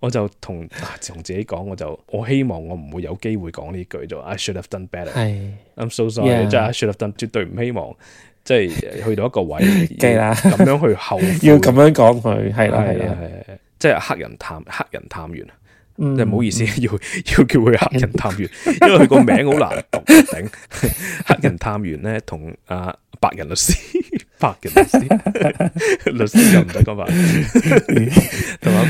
我就同自己講，我希望我唔會有機會講呢句就 I should have done better。I'm so sorry， 即係 I should have done， 絕對唔希望即係去到一個位咁樣去後悔，要咁樣講佢，係啦，即係黑人探員。即係唔好意思，要叫佢黑人探員，因為佢個名好難讀，頂黑人探員咧同白人律師，律師就唔使講白，同埋。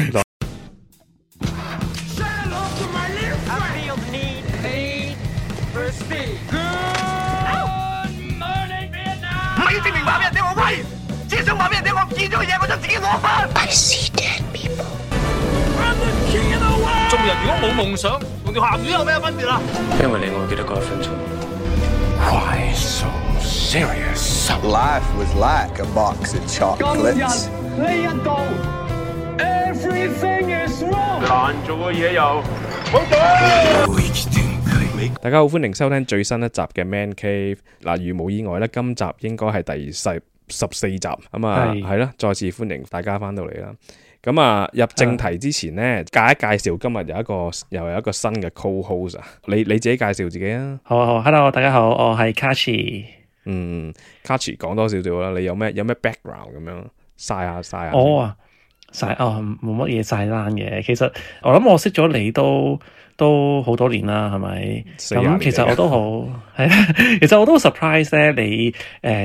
I see dead people。做人如果冇夢想，同條鹹魚有咩分別啊？因為你我記得嗰1分鐘。Why so serious? Life was like a box of chocolates. 呢一度 everything is wrong。難做嘅嘢又好做。大家好，歡迎收聽最新一集嘅 Man Cave。嗱，如無意外咧，今集應該係第14集咁啊，係啦，再次歡迎大家翻到嚟啦。咁啊，入正題之前呢，介紹今日又有一個新嘅 co-host 啊，你自己介紹自己啊。好 ，Hello， 大家好，我係 Kachi。Kachi 講多少少啦，你有咩 background 咁樣晒下。冇乜嘢晒單嘅。其實我諗我識咗你都好多年啦，係咪？咁其實我都好係啦。其實我都 surprise 咧，你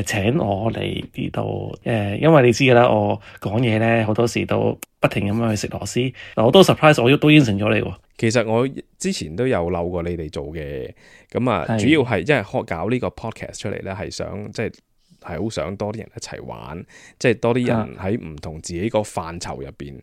請我嚟呢度因為你知㗎啦，我講嘢咧好多時都不停咁樣去食螺絲。嗱，我都 surprise， 我都應承咗你喎。其實我之前都有漏過你哋做嘅，咁啊，主要係因為搞呢個 podcast 出嚟咧，係想即係好想多啲人一齊玩，即係多啲人喺唔同自己個範疇入邊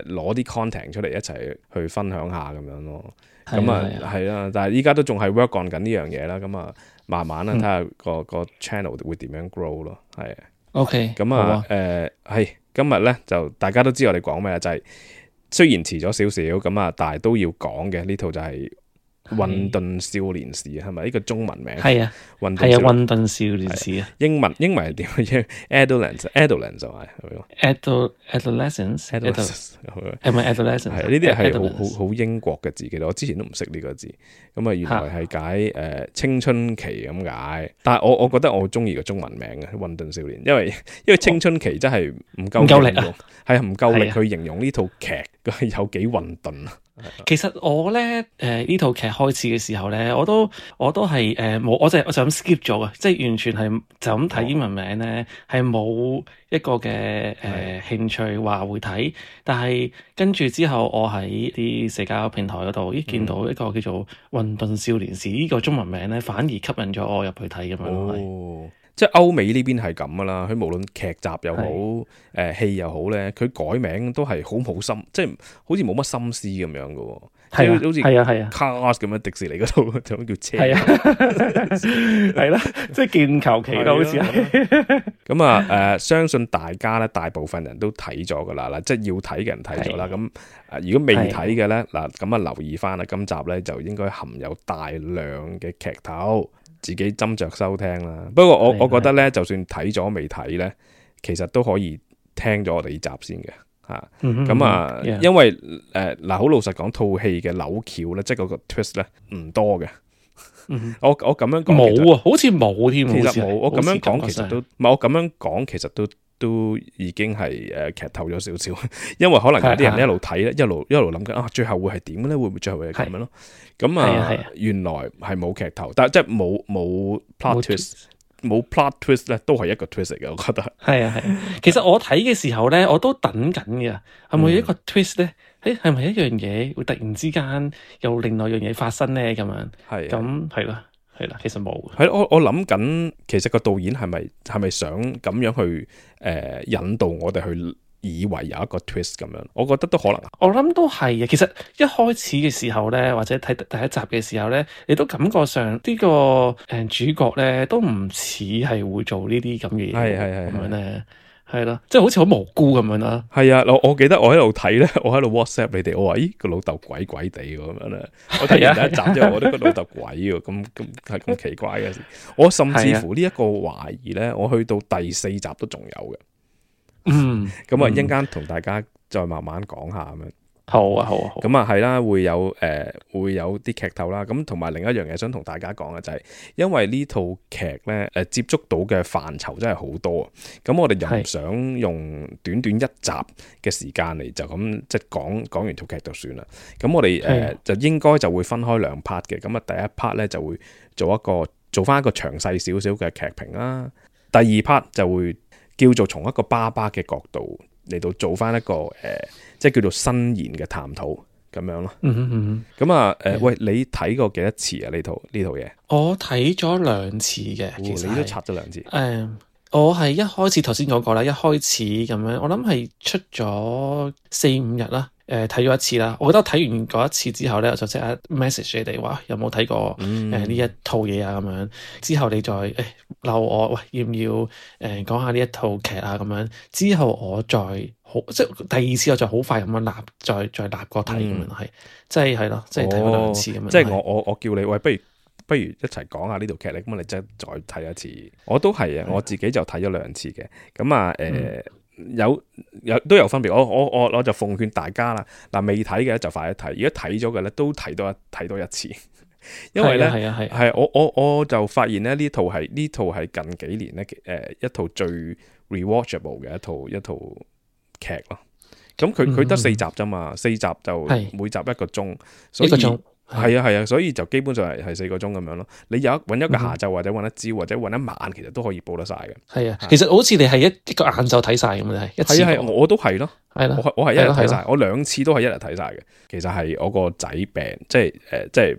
攞啲 content 出嚟一齊去分享下咁樣咯。咁啊係啦，但係依家都仲係 work on 緊呢樣嘢啦。咁啊慢慢啦，睇下個 channel 會點樣 grow 咯。係 OK， 咁啊係今日咧就大家都知我哋講咩啦，就係雖然遲咗少少咁啊，但係都要講嘅呢套就係混沌少年時，係咪呢個中文名？係啊，混沌少年時啊。英文係點？Adolescence 就係 Adolescence，係咪 adolescence？ 係呢啲係好英國嘅字，其實我之前都唔識呢個字。咁啊，原來係解青春期咁解。但係我覺得我好中意個中文名嘅混沌少年，因為青春期真係唔夠力啊，係唔夠力去形容呢套劇有幾混沌啊。其實我咧呢套劇開始嘅時候咧，我都係冇，我就咁 skip 咗嘅，即係完全係就咁睇英文名咧，係冇一個嘅興趣話會睇。但係跟住之後，我喺啲社交平台嗰度見到一個叫做《混沌少年時》呢個中文名咧，反而吸引咗我入去睇咁樣。即係歐美呢邊係咁噶啦，佢無論劇集又好，戲又好咧，佢改名都係好冇心，即係好似冇乜心思咁樣噶喎。係好似Cars咁樣，迪士尼嗰度就叫車。係啦，即係見求其都好似係。咁啊相信大家咧，大部分人都睇咗噶啦，即係要睇嘅人睇咗啦。咁如果未睇嘅咧，嗱咁啊留意翻啦，今集咧就應該含有大量嘅劇透。自己斟酌收聽啦。不過我覺得咧，就算睇咗未睇咧，其實都可以聽咗我哋呢集先嘅嚇。咁啊，因為嗱好老實講，套戲嘅扭橋咧，即係嗰個 twist 咧唔多嘅。我咁樣講冇啊，好似冇添。其實冇，我咁樣講其實都唔係，我咁樣講其實都已經係劇透咗少少，因為可能有啲人一路睇咧，一路諗緊最後會係點咧？會唔會最後係咁樣咯？咁原來係冇劇透，但係即係冇 plot twist，冇 plot twist 咧，都係一個 twist 嚟嘅，我覺得。係。其實我睇嘅時候咧，我都等緊嘅，係咪一個 twist 咧？係咪一樣嘢會突然之間有另外一樣嘢發生咧？咁樣咁係啦。係啦，其實冇。係我諗緊，其實個導演係咪想咁樣去引導我哋去以為有一個 twist 咁樣？我覺得都可能。我諗都係嘅。其實一開始嘅時候咧，或者睇第一集嘅時候咧，你都感覺上呢個主角咧都唔似係會做呢啲咁嘅嘢。係咁樣咧。係啦，即係好似好無辜咁樣啦。係啊，我記得我喺度睇咧，我喺度 WhatsApp 你哋，我話咦個老豆鬼鬼地咁樣咧。我睇完第一集之後，我都覺得老豆鬼喎，咁係咁奇怪嘅事。我甚至乎呢一個懷疑咧，我去到第4集都仲有嘅。咁啊，一陣間同大家再慢慢講下咁樣。好啊，好啊，好。咁啊係啦，會有啲劇透啦。咁同埋另一樣嘢想同大家講嘅就係，因為呢套劇咧接觸到嘅範疇真係好多。咁我哋又唔想用短短一集嘅時間嚟就咁即係講完套劇就算啦。咁我哋就應該就會分開兩 part 嘅。咁啊第一 part 咧就會做翻一個詳細少少嘅劇評啦。第二 part 就會叫做從一個爸爸嘅角度嚟到做翻一個即係叫做新言嘅探討咁樣咯。咁啊喂，你睇過幾多次啊？呢套嘢？我睇咗2次嘅，其實你都刷咗2次。我係一開始頭先講過啦，一開始咁樣，我諗係出咗4-5日啦。睇咗一次啦，我覺得睇完嗰一次之後咧，我就即刻 message 你哋話有冇睇過呢一套嘢啊咁樣。之後你再鬧我，喂，要唔要講下呢一套劇啊咁樣。之後我再即係第二次我就好快咁樣再立過睇咁樣係，即係咯，即係睇咗2次咁樣。即係我叫你喂，不如一齊講下呢套劇咧，咁你即係再睇一次。我都係啊，我自己就睇咗2次嘅。咁啊都有分別，我就奉勸大家啦，嗱未睇嘅就快啲睇，如果睇咗嘅咧都睇多一次，因為咧係我就發現咧呢套係近幾年咧一套最 rewatchable 嘅一套劇咯。咁佢得4集啫嘛，4集就每集1個鐘，所以係啊，所以就基本上係4個鐘咁樣咯。你揾一個下晝或者揾一朝或者揾一晚，其實都可以報得晒嘅。係啊，其實好似你係一個晏晝睇晒咁樣，係一次。係我都係咯，係啦，我係一日睇晒，我2次都係一日睇晒嘅。其實係我個仔病，即係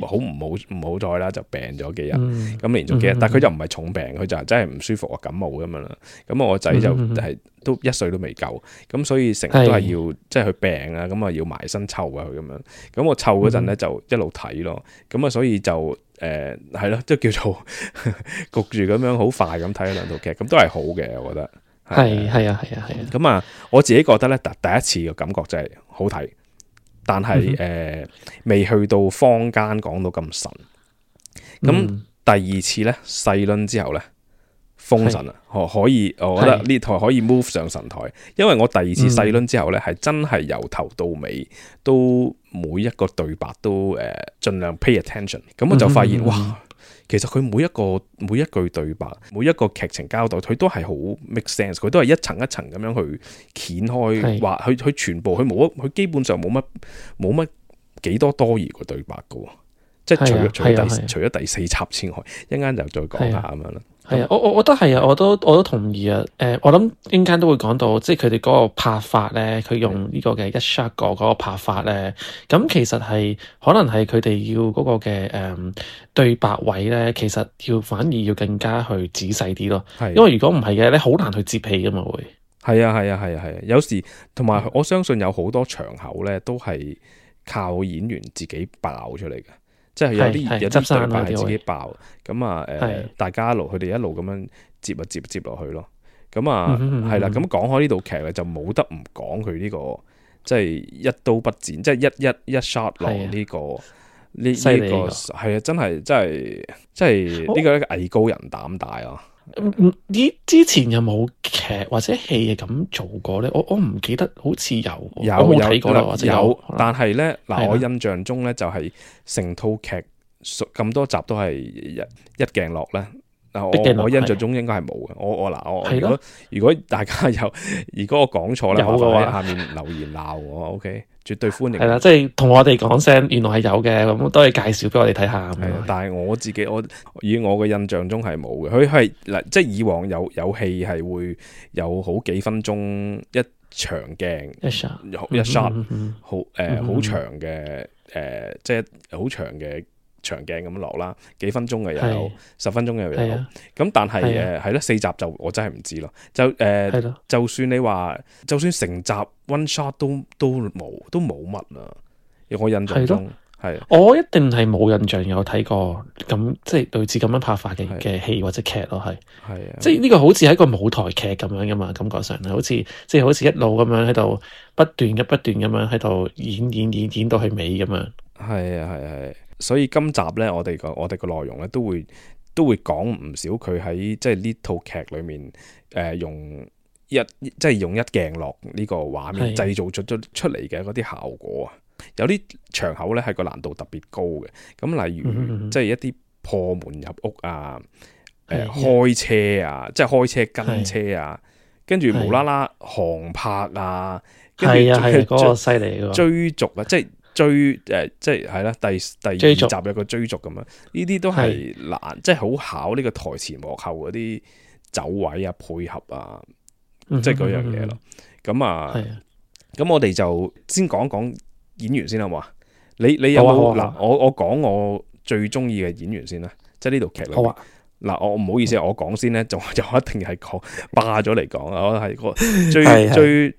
好唔好彩啦，就病咗幾日，咁連續幾日，但係佢就唔係重病，佢就係真係唔舒服啊，感冒咁樣啦。咁我個仔就係都1歲都未夠，咁所以成日都係要即係佢病啊，咁啊要埋身湊啊佢咁樣。咁我湊嗰陣咧就一路睇咯，咁啊所以就係咯，即係叫做焗住咁樣好快咁睇咗2套劇，咁都係好嘅，我覺得。係啊。咁啊，我自己覺得咧，第一次嘅感覺就係好睇，但係未去到坊間講到咁神。咁第二次咧細輪之後咧封神啦，可以，我覺得呢台可以 move 上神台，因為我第2次細輪之後咧係真係由頭到尾都每一個對白都盡量 pay attention， 咁我就發現哇！其實佢每一句對白，每一個劇情交代，佢都係好 make sense， 佢都係一層一層咁樣去掀開，話佢全部佢基本上冇乜幾多多餘嘅對白嘅，即係除咗第4集之外，一陣間就再講下咁樣啦。係啊，我覺得係啊，我都同意啊。我諗一陣間都會講到，即係佢哋嗰個拍法咧，佢用呢個嘅一 shot 嗰個拍法咧，咁其實係可能係佢哋要嗰個嘅對白位咧，其實反而要更加去仔細啲咯。因為如果唔係嘅咧，好難去接戲噶嘛會。係啊，有時同埋我相信有好多場口咧，都係靠演員自己爆出嚟嘅。即係有啲對白係自己爆，咁啊大家佢哋一路咁樣接落去咯。咁啊係啦，咁講開呢套劇咧，就冇得唔講佢呢個即係一刀不剪，即係一 shot 落呢個呢個係啊，真係呢個藝高人膽大啊！之前有冇劇或者戲咁做過咧？我唔記得，好似有，我冇睇過啦，或者有。但係咧嗱，我印象中咧就係成套劇咁多集都係一鏡落咧。我印象中應該係冇嘅。我如果大家如果我講錯咧，麻煩喺下面留言鬧我。OK， 絕對歡迎。係啦，即係同我哋講聲，原來係有嘅，咁都係介紹俾我哋睇下。係，但係我以我嘅印象中係冇嘅。佢係嗱，即係以往有戲係會有好幾分鐘一長鏡一 shot， 好長嘅即係好長嘅長鏡咁落啦，幾分鐘嘅又有，10分鐘嘅又有。咁但係係咯，4集就我真係唔知咯。就算你話，就算成集 one shot 都冇乜啊！我印象中係，我一定係冇印象有睇過咁即係類似咁樣拍法嘅戲或者劇咯，係啊，即係呢個好似係一個舞台劇咁樣噶嘛，感覺上係好似一路咁樣喺度不斷咁樣喺度演到去尾咁樣。係。所以今集咧，我哋個內容咧都會講唔少佢喺即係呢套劇裏面用即係用一鏡落呢個畫面製造出嚟嘅嗰啲效果啊，有啲場口咧係個難度特別高嘅。咁例如即係一啲破門入屋啊，開車啊，即係開車跟車啊，跟住無啦啦航拍啊，跟住嗰個犀利嘅追逐啊，即係即係係啦，第二集有個追逐咁樣，呢啲都係難，即係好考呢個台前幕後嗰啲走位啊、配合啊，即係嗰樣嘢咯。咁我哋就先講講演員先好嘛？你有冇嗱？我講我最中意嘅演員先啦，即係呢套劇裏邊。嗱，我唔好意思，我講先咧，就一定係講霸咗嚟講啊！我係個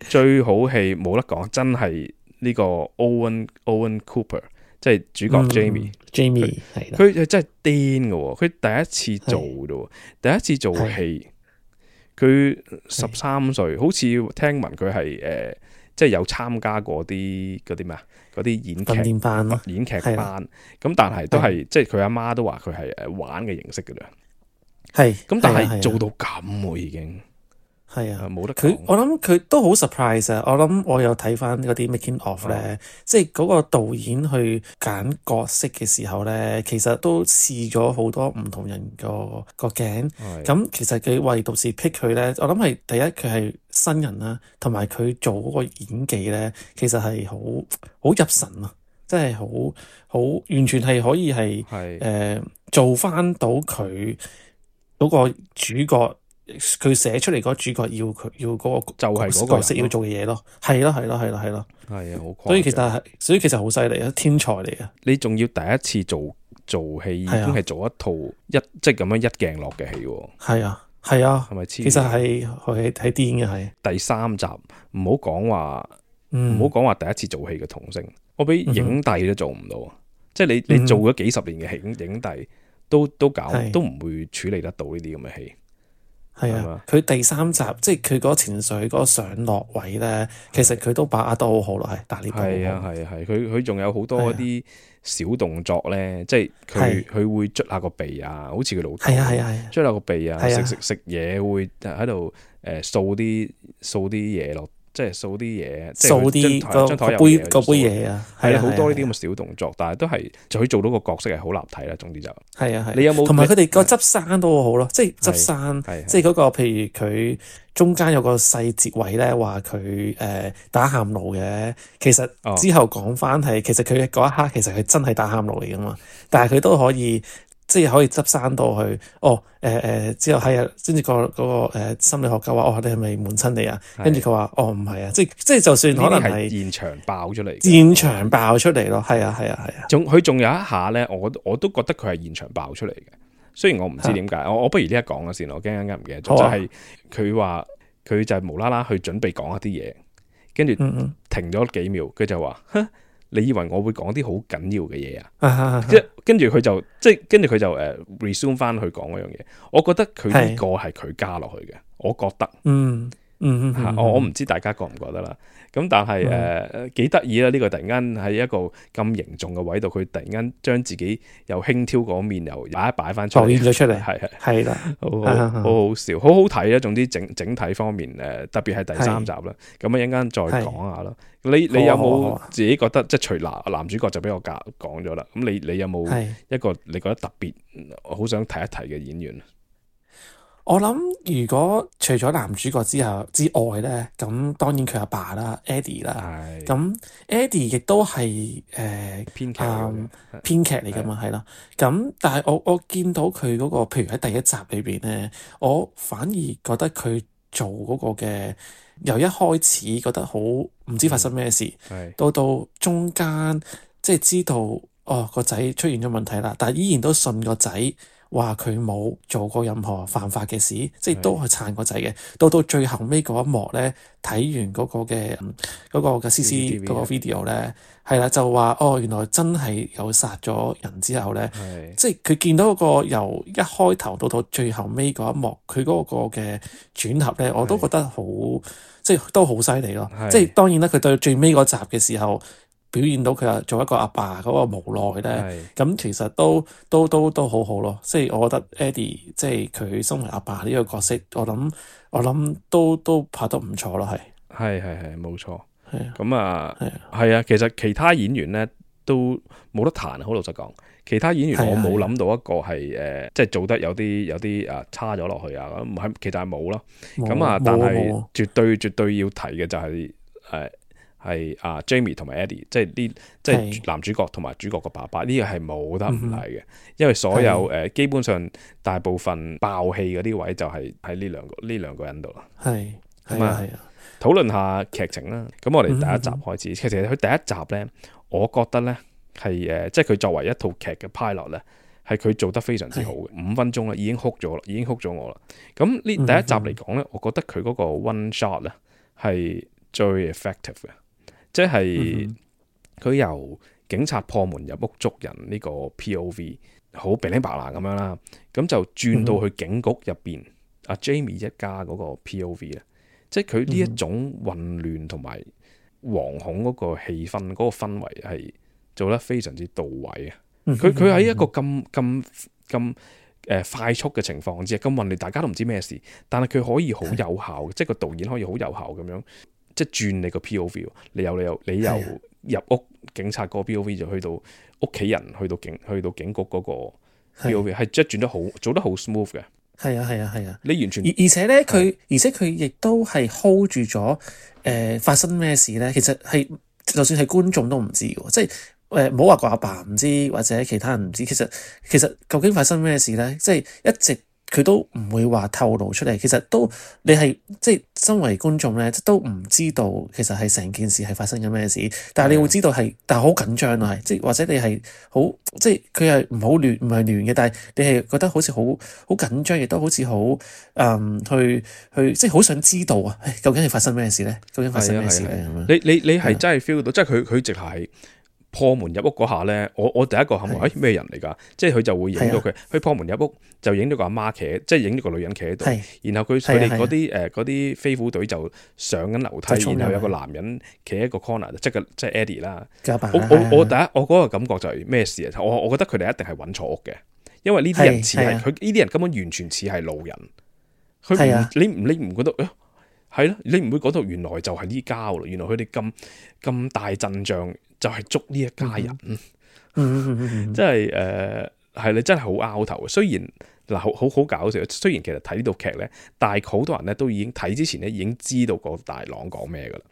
最好戲冇得講，真係呢個 Owen Cooper， 即係主角 Jamie 係啦，佢真係癲嘅，佢第一次做啫，第一次做戲，佢13歲，好似聽聞佢係即係有參加過啲嗰啲咩啊，嗰啲演劇班咯，演劇班，咁但係都係即係佢阿媽都話佢係玩嘅形式嘅啦。咁但係做到咁喎已經係啊，冇得講。我諗佢都好 surprise 啊！我諗我有睇翻嗰啲 making of 咧，即係嗰個導演去揀角色嘅時候咧，其實都試咗好多唔同人個鏡。咁其實佢為導師 pick 佢咧，我諗係第一佢係新人啦，同埋佢做嗰個演技咧，其實係好入神啊！即係好完全係可以係做翻到佢嗰個主角，佢寫出嚟嗰個主角要嗰個就係嗰個角色要做嘅嘢咯，係咯，係啊，好誇張。所以其實好犀利啊，天才嚟啊！你仲要第一次做戲，已經係做一套即係咁樣一鏡落嘅戲喎。係啊，係咪？其實係癲嘅係。第3集唔好講話第一次做戲嘅童星，我俾影帝都做唔到，即係你做咗幾十年嘅影帝。都唔會處理得到呢啲咁嘅戲。係啊，佢第3集即係佢嗰個情緒嗰個上落位咧，其實佢都把握得好好咯，係打呢個。係啊，佢仲有好多一啲小動作咧，即係佢會捽下個鼻啊，好似佢老豆。捽下個鼻啊，食嘢會喺度掃啲嘢落。即係掃啲嘢，掃啲張台個杯嘢啊，係好多呢啲咁嘅小動作，但係都係就可以做到個角色係好立體啦。總之就係你有冇？同埋佢哋個執生都好咯，即係執生，即係嗰個譬如佢中間有個細節位咧，話佢打喊路嘅，其實之後講翻係，其實佢嗰一刻其實佢真係打喊路嚟噶嘛，但係佢都可以。即係可以執生到去，之後係啊，跟住個心理學家話，你係咪悶親你啊？跟住佢話，唔係啊，即係就算可能係現場爆出嚟，咯，係啊。佢仲有一下咧，我都覺得佢係現場爆出嚟嘅。雖然我唔知點解，我不如呢一講咗先，我驚唔記得咗。就係佢話佢就係無啦啦去準備講一啲嘢，跟住停咗幾秒，佢就話，你以為我會講啲好緊要嘅嘢啊？即係跟住佢就resume 翻去講嗰樣嘢。我覺得佢呢個係佢加落去嘅，我覺得。我唔知大家覺唔覺得啦。咁但係幾得意啦！呢個突然間喺一個咁凝重嘅位度，佢突然間將自己又輕佻嗰面又擺翻出嚟，表現咗出嚟，係啦，好好笑，好好睇啊！總之整體方面特別係第3集啦。咁一陣間再講下啦。你有冇自己覺得即係除男主角就俾我講咗啦？咁你有冇一個你覺得特別好想提一提嘅演員？我諗如果除咗男主角之外咧，咁當然佢阿爸啦 ，Eddie 啦，咁 Eddie 亦都係編劇嚟噶嘛，係啦。咁但係我見到佢嗰個，譬如喺第1集裏邊咧，我反而覺得佢做嗰個嘅由一開始覺得好唔知發生咩事，到中間即係知道個仔出現咗問題啦，但係依然都信個仔。話佢冇做過任何犯法嘅事，即係都係撐個仔嘅。到最後尾嗰一幕咧，睇完嗰個嘅 CC 嗰個 video 咧，係啦，就話原來真係有殺咗人之後咧，即係佢見到嗰個由一開頭到最後尾嗰一幕，佢嗰個嘅轉合咧，我都覺得好，即係都好犀利咯。即係當然啦，佢對最尾嗰集嘅時候。表現到佢做一個阿爸嗰個無奈咧，咁其實都好好咯。即係我覺得 Eddie 即係佢身為阿爸呢個角色，我諗都拍得唔錯咯，係冇錯。係啊，咁啊係啊，其實其他演員咧都冇得彈，好老實講。其他演員我冇諗到一個係即係做得有啲差咗落去啊，咁係其實係冇咯。咁啊，但係絕對要提嘅就係Jamie 同埋 Eddie，即係男主角同埋主角個爸爸，呢個係冇得唔提嘅，因為所有基本上大部分爆戲嗰啲位就係喺呢兩個人度啦。係討論下劇情啦。咁我哋第一集開始，其實佢第一集咧，我覺得咧係即係佢作為一套劇嘅 pilot 咧，係佢做得非常之好嘅。5分鐘啦，已經 hook 咗我啦。咁呢第一集嚟講咧，我覺得佢嗰個 one shot 咧係最 effective 嘅，即係佢由警察破門入屋捉人呢個 POV 好鼻零白爛咁樣啦，咁就轉到去警局入邊阿 Jamie 一家嗰個 POV 咧。即係佢呢一種混亂同埋惶恐嗰個氣氛，嗰個氛圍係做得非常之到位啊！佢喺一個咁快速嘅情況之下，咁混亂，大家都唔知咩事，但係佢可以好有效，即係個導演可以好有效咁樣，即係轉你個 POV，你由入屋警察嗰個 POV 就去到屋企人，去到警局嗰個 POV，係即係轉得好，做得好 smooth 嘅。係啊！你完全而且咧，佢亦都係 hold 住咗發生咩事咧。其實係就算係觀眾都唔知嘅，即係唔好話個阿爸唔知或者其他人唔知。其實究竟發生咩事咧？即係一直佢都唔會話透露出嚟。其實都你係即係身為觀眾咧，都唔知道其實係成件事係發生緊咩事。但係你會知道係，但係好緊張啊，即係或者你係好即係佢係唔係亂嘅，但係你係覺得好似好緊張，亦都好似好去即係好想知道啊！究竟係發生咩事咧？究竟發生咩事咧？你係真係 feel 到，即係佢直係破門入屋嗰下咧，我第一個諗話咩人嚟㗎？即係佢就會影到佢破門入屋就影到個阿媽企，即係影到個女人企喺度，然後佢哋嗰啲飛虎隊就上緊樓梯，然後有個男人企喺個 corner，即係 Eddie 啦。我嗰個感覺就係咩事啊？我覺得佢哋一定係揾錯屋嘅，因為呢啲人似係佢呢啲人根本完全似係路人。你唔覺得係咯？你唔會覺得原來就係呢家喎？原來佢哋咁大陣仗就係捉呢一家人，即係係你真係好拗頭。雖然嗱好搞笑，雖然其實睇呢套劇咧，但係好多人咧都已經睇之前咧已經知道個大郎講咩噶啦，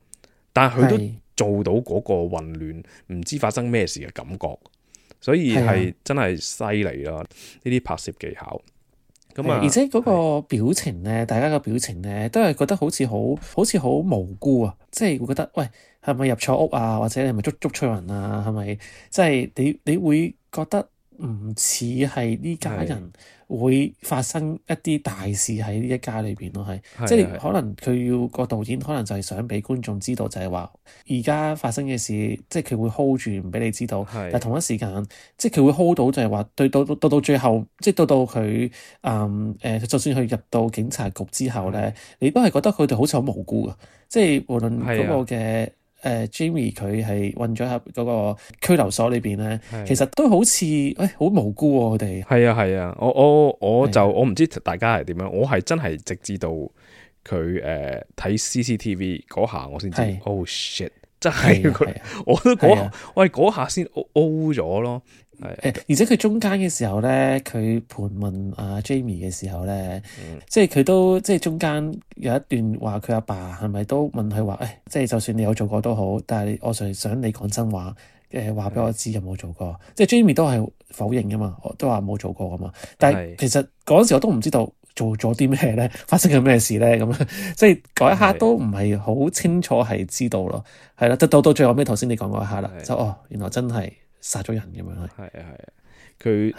但係佢都做到嗰個混亂，唔知發生咩事嘅感覺，所以係真係犀利啦！呢啲拍攝技巧。而且嗰個表情咧，大家個表情咧，都係覺得好似好無辜啊！即係會覺得，喂，係咪入錯屋啊？或者係咪捉錯人啊？係咪即係你會覺得唔似係呢家人會發生一啲大事喺呢一家裏邊咯？係即係可能佢要個導演可能就係想俾觀眾知道，就係話而家發生嘅事，即係佢會 hold 住唔俾你知道。但係同一時間，即係佢會 hold 到，就係話對到最後，即係到佢就算佢入到警察局之後咧，你都係覺得佢哋好似好無辜㗎。即係無論嗰個嘅。Jamie 佢係混咗喺嗰個拘留所裏邊咧，其實都好似好無辜喎，佢哋。係啊，我唔知大家係點樣，我係真係直至到佢睇 CCTV 嗰下，我先知。Oh shit！真係我都嗰下先 O 咗咯。而且佢中間嘅時候咧，佢盤問阿 Jamie 嘅時候咧，即係佢都即係中間有一段話，佢阿爸係咪都問佢話，即係就算你有做過都好，但係我想你講真話，話俾我知有冇做過。即係 Jamie 都係否認噶嘛，都話冇做過噶嘛。但係其實嗰陣時我都唔知道做咗啲咩咧，發生緊咩事咧，咁即係嗰一刻都唔係好清楚係知道咯，係啦，到最後尾頭先你講嗰一刻啦，就原來真係殺咗人咁樣。係啊，佢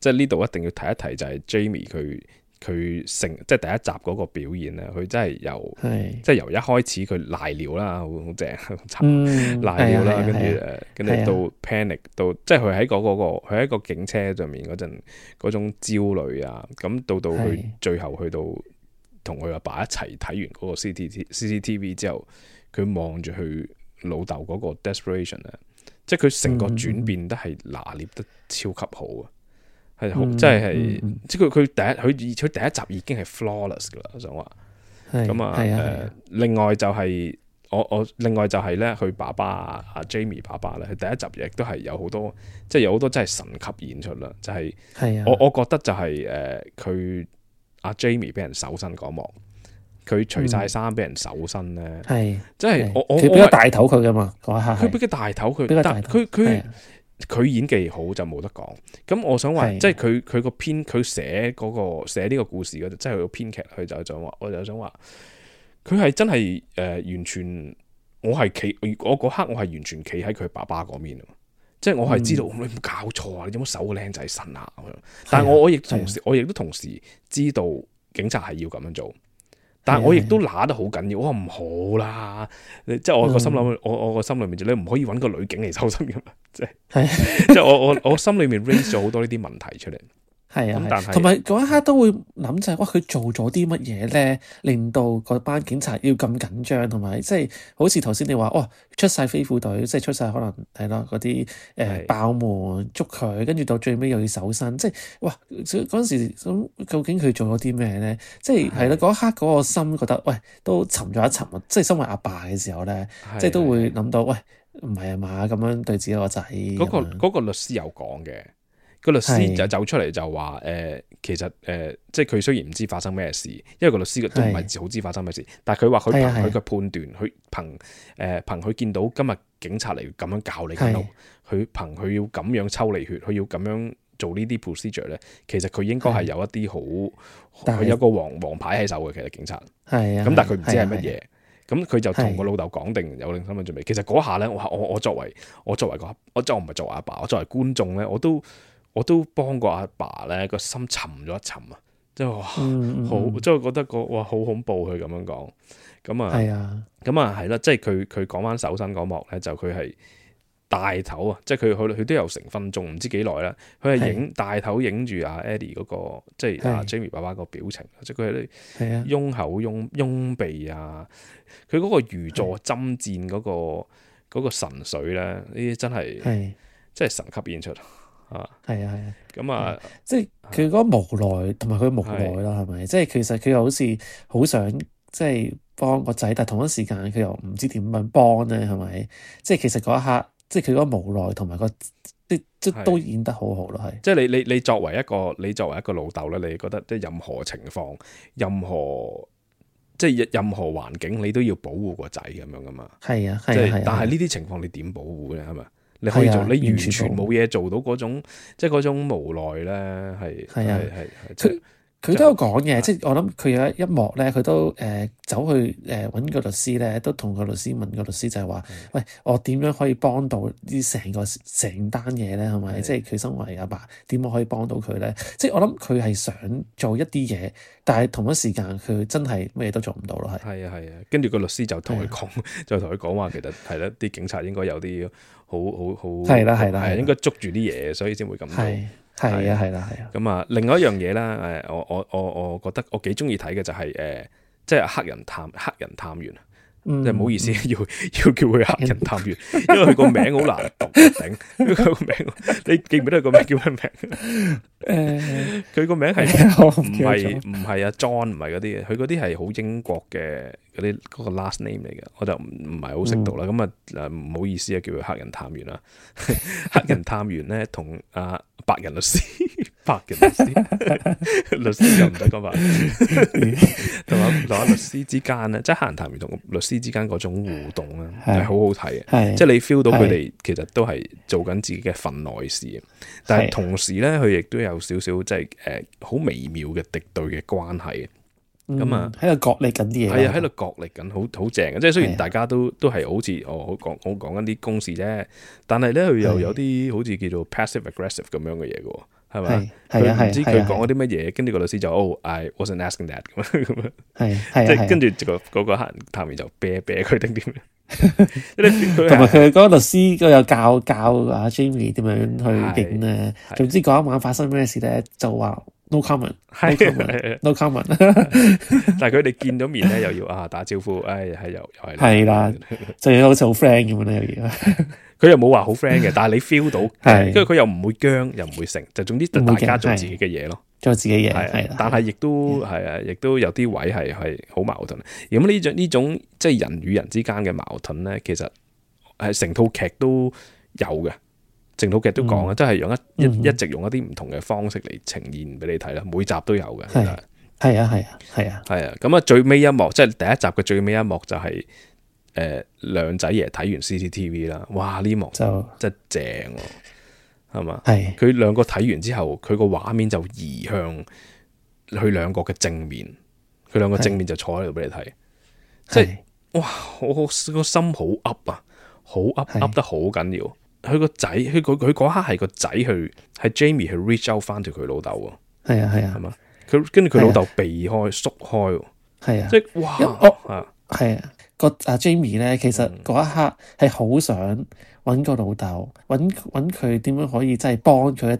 即係呢度一定要提一提，就係 Jamie 佢即係第一集嗰個表現咧，佢真係由一開始佢賴尿啦，好正，賴尿啦，跟住到 panic， 到即係佢喺佢喺個警車上面嗰陣嗰種焦慮啊，咁到佢最後去到同佢阿爸一齊睇完嗰個 CCTV 之後，佢望住佢老豆嗰個 desperation 啊，即係佢成個轉變都係拿捏得超級好啊，係好即係即係佢第一集已經係 flawless 噶啦，我想話咁啊另外就係另外就係咧，佢爸爸阿 Jamie 爸爸咧，佢第一集亦都係有好多，即係有好多真係神級演出啦。就係我覺得就係佢阿 Jamie 俾人搜身嗰幕，佢除晒衫俾人搜身咧，即係佢俾個大頭佢噶嘛嗰一刻，佢俾個大頭佢，但佢演技好就冇得講。咁我想話，即係佢個編佢寫呢個故事嗰度，即係佢個編劇佢就話，我就想話。佢係真係完全，我嗰刻我係完全企喺佢爸爸嗰邊，即係我係知道你冇搞錯啊！你有冇搜個靚仔身啊？但係我亦都同時知道警察係要咁樣做，但係我亦都揦得好緊要。我話唔好啦，即係我個心諗，我個心裏面就你唔可以揾個女警嚟搜身噶嘛，即係我心裏面 raise 咗好多呢啲問題出嚟。係啊，同埋嗰一刻都會諗就係，哇！佢做咗啲乜嘢咧，令到嗰班警察要咁緊張，同埋即係好似頭先你話，哇！出晒飛虎隊，即係出晒可能係咯嗰啲爆門捉佢，跟住到最尾又要搜身，即係哇！嗰陣時咁究竟佢做咗啲咩咧？即係係咯，嗰一刻嗰個心覺得，喂，都沉咗一沉啊！即係身為阿爸嘅時候咧，即係都會諗到，喂，唔係啊嘛，咁樣對自己個仔。嗰個律師有講嘅。個律師就走出嚟就話其實即係佢雖然唔知發生咩事，因為個律師都唔係好知發生咩事，但係佢話佢憑佢嘅判斷，佢憑佢見到今日警察嚟咁樣教你緊路，佢憑佢要咁樣抽你血，佢要咁樣做呢啲 procedure 咧，其實佢應該係有一啲好，佢有個黃牌喺手嘅，其實警察咁，但係佢唔知係乜嘢，咁佢就同個老豆講定有定心理準備。其實嗰下咧，我作為我唔係作為阿爸，我作為觀眾咧，我都幫個阿爸咧個心沉咗一沉啊！即係好，即係覺得哇好恐怖佢咁樣講，咁啊係啦，即係佢講翻搜身嗰幕咧，就佢係大頭啊，即係佢都有成分鐘，唔知幾耐啦，佢係大頭影住阿 Eddie 嗰個，即係阿 Jamie 爸爸個表情，即係佢係啲擁口擁鼻啊，佢嗰個如坐針氈嗰個神髓咧，呢啲真係神級演出。咁啊，即係佢嗰個無奈，同埋佢無奈啦，係咪？即係其實佢又好似好想即係幫個仔，但係同一時間佢又唔知點樣幫咧，係咪？即係其實嗰一刻，即係佢嗰個無奈同埋即都演得好好咯，係。即係你作為一個老豆咧，你覺得即係任何情況、任何環境，你都要保護個仔咁樣噶嘛？係啊，但係呢啲情況你點保護咧？係咪？你可以做，你完全冇嘢做到嗰種，即係嗰種無奈咧，係。佢都有講嘅，即係我諗佢有一幕咧，佢都走去揾個律師咧，都同個律師問個律師就係話：喂，我點樣可以幫到呢成單嘢咧？係咪？即係佢身為阿爸，點樣可以幫到佢咧？即係我諗佢係想做一啲嘢，但係同一時間佢真係咩都做唔到咯，係。係啊，跟住個律師就同佢講話，其實係啦，啲警察應該有啲好係啦，應該捉住啲嘢，所以先會咁做。係啊。咁啊，另外一樣嘢啦，我覺得我幾中意睇嘅就係即係黑人探員啊，即係唔好意思，要叫佢黑人探員，因為佢個名好難讀，頂佢個名，你記唔記得佢個名叫咩名？佢個名係唔係阿 John， 唔係嗰啲嘅，佢嗰啲係好英國嘅嗰個 last name 嚟嘅，我就唔係好識讀啦。咁唔好意思啊，叫佢黑人探員啦。黑人探員咧同白人律師，律師又唔使講白，同埋律師之間咧，即係黑人探員同律師之間嗰種互動咧，係好好睇嘅。即係你 feel 到佢哋其實都係做緊自己嘅份內事，但係同時咧，佢亦都有少少即係好微妙嘅敵對嘅關係。咁啊，喺度角力緊啲嘢，係啊，喺度角力緊，好正嘅。即係雖然大家都係好似我講緊啲公事啫，但係咧佢又有啲好似叫做 passive aggressive 咁樣嘅嘢嘅，係咪？佢唔知佢講嗰啲乜嘢，跟住個律師就I wasn't asking that 咁樣，即係跟住嗰個黑人探員就啤佢定點？同埋佢嗰個律師都有教阿 Jamie 點樣去影咧。總之嗰一晚發生咩事咧，就話 no comment，no 係 comment，no comment。但係佢哋見咗面咧，又要打招呼，係又係係啦，就好似好 friend 咁樣咧，又要。佢又冇話好 friend 嘅，但係你 feel 到，係跟住佢又唔會僵，又唔會成，就總之大家做自己嘅嘢咯，做自己嘢係。但係亦都係啊，亦都有啲位係好矛盾。咁呢種即係人與人之間嘅矛盾咧，其實係成套劇都有嘅。成套劇都講啊，即係用一直用一啲唔同嘅方式嚟呈現俾你睇啦，每集都有嘅。係啊。咁啊，最尾一幕即係第一集嘅最尾一幕就係兩仔爺睇完 CCTV 啦，哇！呢幕就真係正喎，係嘛？係佢兩個睇完之後，佢個畫面就移向佢兩個嘅正面，佢兩個正面就坐喺度俾你睇，即係哇！我個心好噏啊，好噏得好緊要。佢個仔，佢嗰刻係個仔係 Jamie 去 reach out 翻到佢老豆喎。係嘛？佢跟住佢老豆避開縮開喎。係啊，即係哇！係啊，阿 Jamie 咧，其實嗰一刻係好想揾個老豆，揾佢點樣可以真係幫佢，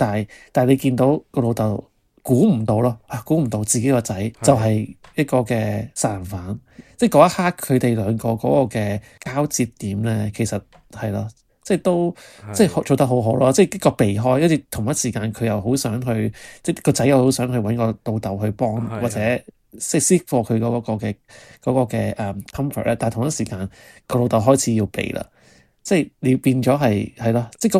但係你見到個老豆估唔到咯，估唔到自己個仔就係一個嘅殺人犯。即係嗰一刻佢哋兩個嗰個嘅交接點咧，其實係咯。即係都即係做得好好咯，即係一個避開，跟住同一時間佢又好想去，即係個仔又好想去揾個老豆去幫，或者即係 seek for 佢嗰個嘅comfort 咧。但係同一時間個老豆開始要避啦，即係你變咗係咯，即係嗰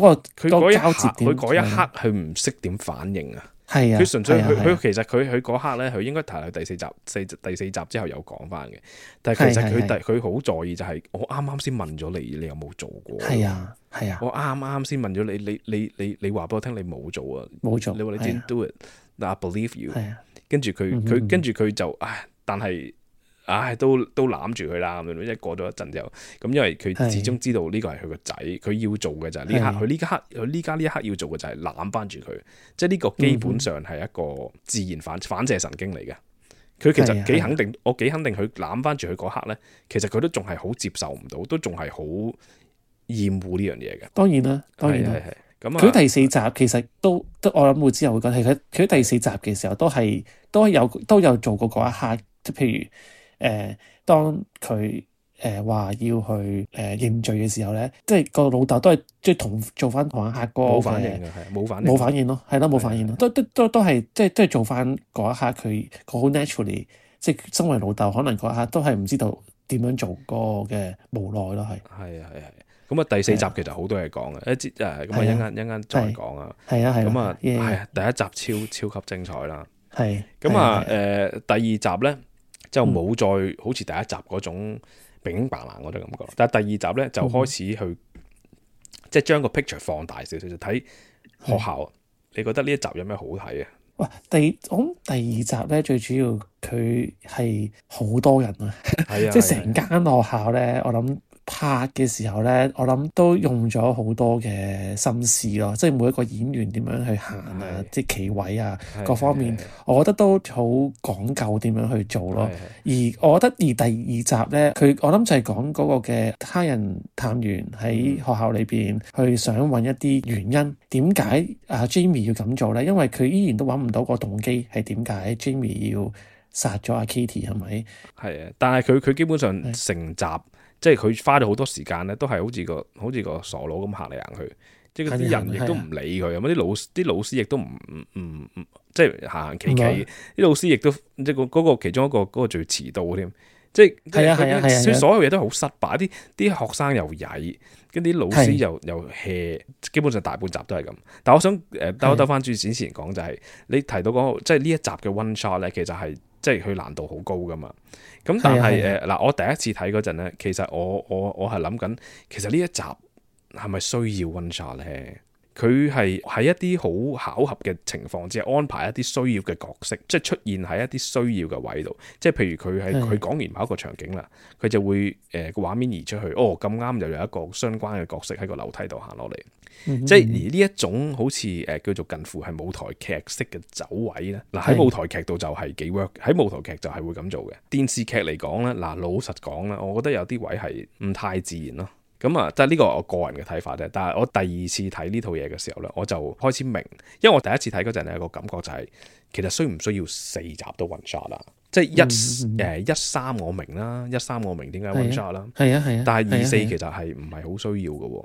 個交接點，佢嗰一刻佢唔識點反應啊。係啊，佢純粹佢其實佢嗰刻咧，佢應該提到第四集之後有講翻嘅。但係其實佢好在意就係我啱啱先問咗你，你有冇做過？係啊。我啱啱先問咗你話俾我聽你冇做啊，冇做。你話你 didn't do it，I believe you。跟住佢就但係都攬住佢啦咁樣。一過咗一陣之後，咁因為佢始終知道呢個係佢個仔，佢要做嘅就係呢刻，佢呢家呢一刻要做嘅就係攬翻住佢。即係呢個基本上係一個自然反射神經嚟嘅。佢其實幾肯定，我幾肯定佢攬翻住佢嗰刻咧，其實佢都仲係好接受唔到，都仲係好厭惡呢樣嘢嘅。當然啦。咁佢第四集其實都我諗會之後會講，係佢第四集嘅時候都有做過嗰一刻，即係譬如當佢話要去認罪嘅時候咧，即係個老豆都係即係做翻同一刻個冇反應嘅，係冇反應咯，係咯冇反應咯，都係即係做翻嗰一刻佢好 naturally， 即係身為老豆可能嗰一刻都係唔知道點樣做個嘅無奈咯，係。咁啊，第四集其實好多嘢講嘅，咁啊一陣再講啊。咁啊第一集超級精彩啦。咁啊第二集咧就冇再好似第一集嗰種冰白冷嗰種感覺，但係第二集咧就開始去即係將個 picture 放大少少，就睇學校。你覺得呢一集有咩好睇啊？哇！我諗第二集咧最主要佢係好多人啊，即係成間學校咧，我諗。拍嘅時候咧，我諗都用咗好多嘅心思咯，即係每一個演員點樣去行啊，即係企位啊，各方面，我覺得都好講究點樣去做咯。而我覺得第二集咧，我諗就係講嗰個嘅他人探員喺學校裏邊去想揾一啲原因，點解Jamie 要咁做咧？因為佢依然都揾唔到個動機係點解 Jamie 要殺咗阿 Katie 係咪？係啊，但係佢基本上成集。即係佢花咗好多時間咧，都係好似個傻佬咁行嚟行去，即係啲人亦都唔理佢，咁啲老師亦都唔即係行企企，啲老師亦都即係嗰個其中一個嗰個最遲到添，即係所有嘢都好失敗，啲學生又曳，跟啲老師又 hea， 基本上大半集都係咁。但我想兜翻轉之前講就係你提到嗰個即係呢一集嘅 one shot 咧，其實係即係佢難度好高噶嘛。咁但係嗱，我第一次睇嗰陣咧，其實我係諗緊，其實呢一集係咪需要 one shot 咧？佢係喺一啲好巧合嘅情況之下安排一啲需要嘅角色，即係出現喺一啲需要嘅位度。即係譬如佢講完某一個場景啦，佢就會個畫面移出去，咁啱又有一個相關嘅角色喺個樓梯度行落嚟。即係而呢一種好似叫做近乎係舞台劇式嘅走位咧，嗱喺舞台劇度就係幾 work， 喺舞台劇就係會咁做嘅。電視劇嚟講咧，嗱老實講啦，我覺得有啲位係唔太自然咯。咁啊，即係呢個我個人嘅睇法啫。但係我第二次睇呢套嘢嘅時候咧，我就開始明，因為我第一次睇嗰陣咧個感覺就係、其實需唔需要4集都 one shot 啦？即係13我明啦，13我明點解 one shot 啦。係啊，但係24其實係唔係好需要嘅喎。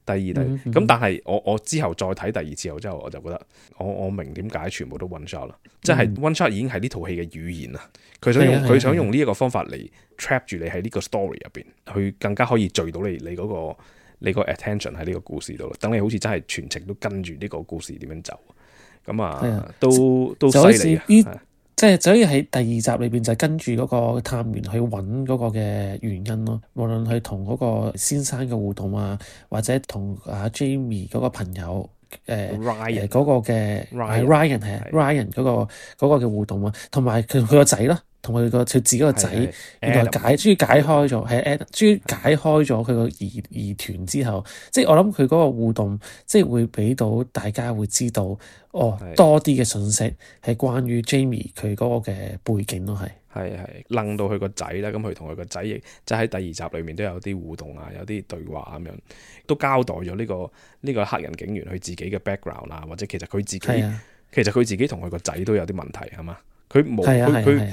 第二咁，但係我之後再睇第二次後之後，我就覺得我明點解全部都 one shot 啦，即係 one shot 已經係呢套戲嘅語言啦。佢想用呢一個方法嚟 trap 住你喺呢個 story 入邊，去更加可以聚到你個 attention 喺呢個故事度，等你好似真係全程都跟住呢個故事點樣走。咁啊，都犀利嘅。即係就可以喺第二集裏邊就跟住嗰個探員去揾嗰個嘅原因咯，無論佢同嗰個先生嘅互動啊，或者同阿 Jamie 嗰個朋友Ryan 嗰個嘅 Ryan 係 Ryan 嗰個嘅互動啊，同埋佢個仔咯，同佢自己個仔原來終於解開咗，終於解開咗佢個疑團之後，即係我諗佢嗰個互動，即係會俾到大家會知道多啲嘅信息係關於 Jamie 佢嗰個嘅背景咯，係楞到佢個仔啦，咁佢同佢個仔亦即係喺第二集裏面都有啲互動啊，有啲對話咁樣，都交代咗呢個黑人警員佢自己嘅 background 啊，或者其實佢自己同佢個仔都有啲問題係嘛？佢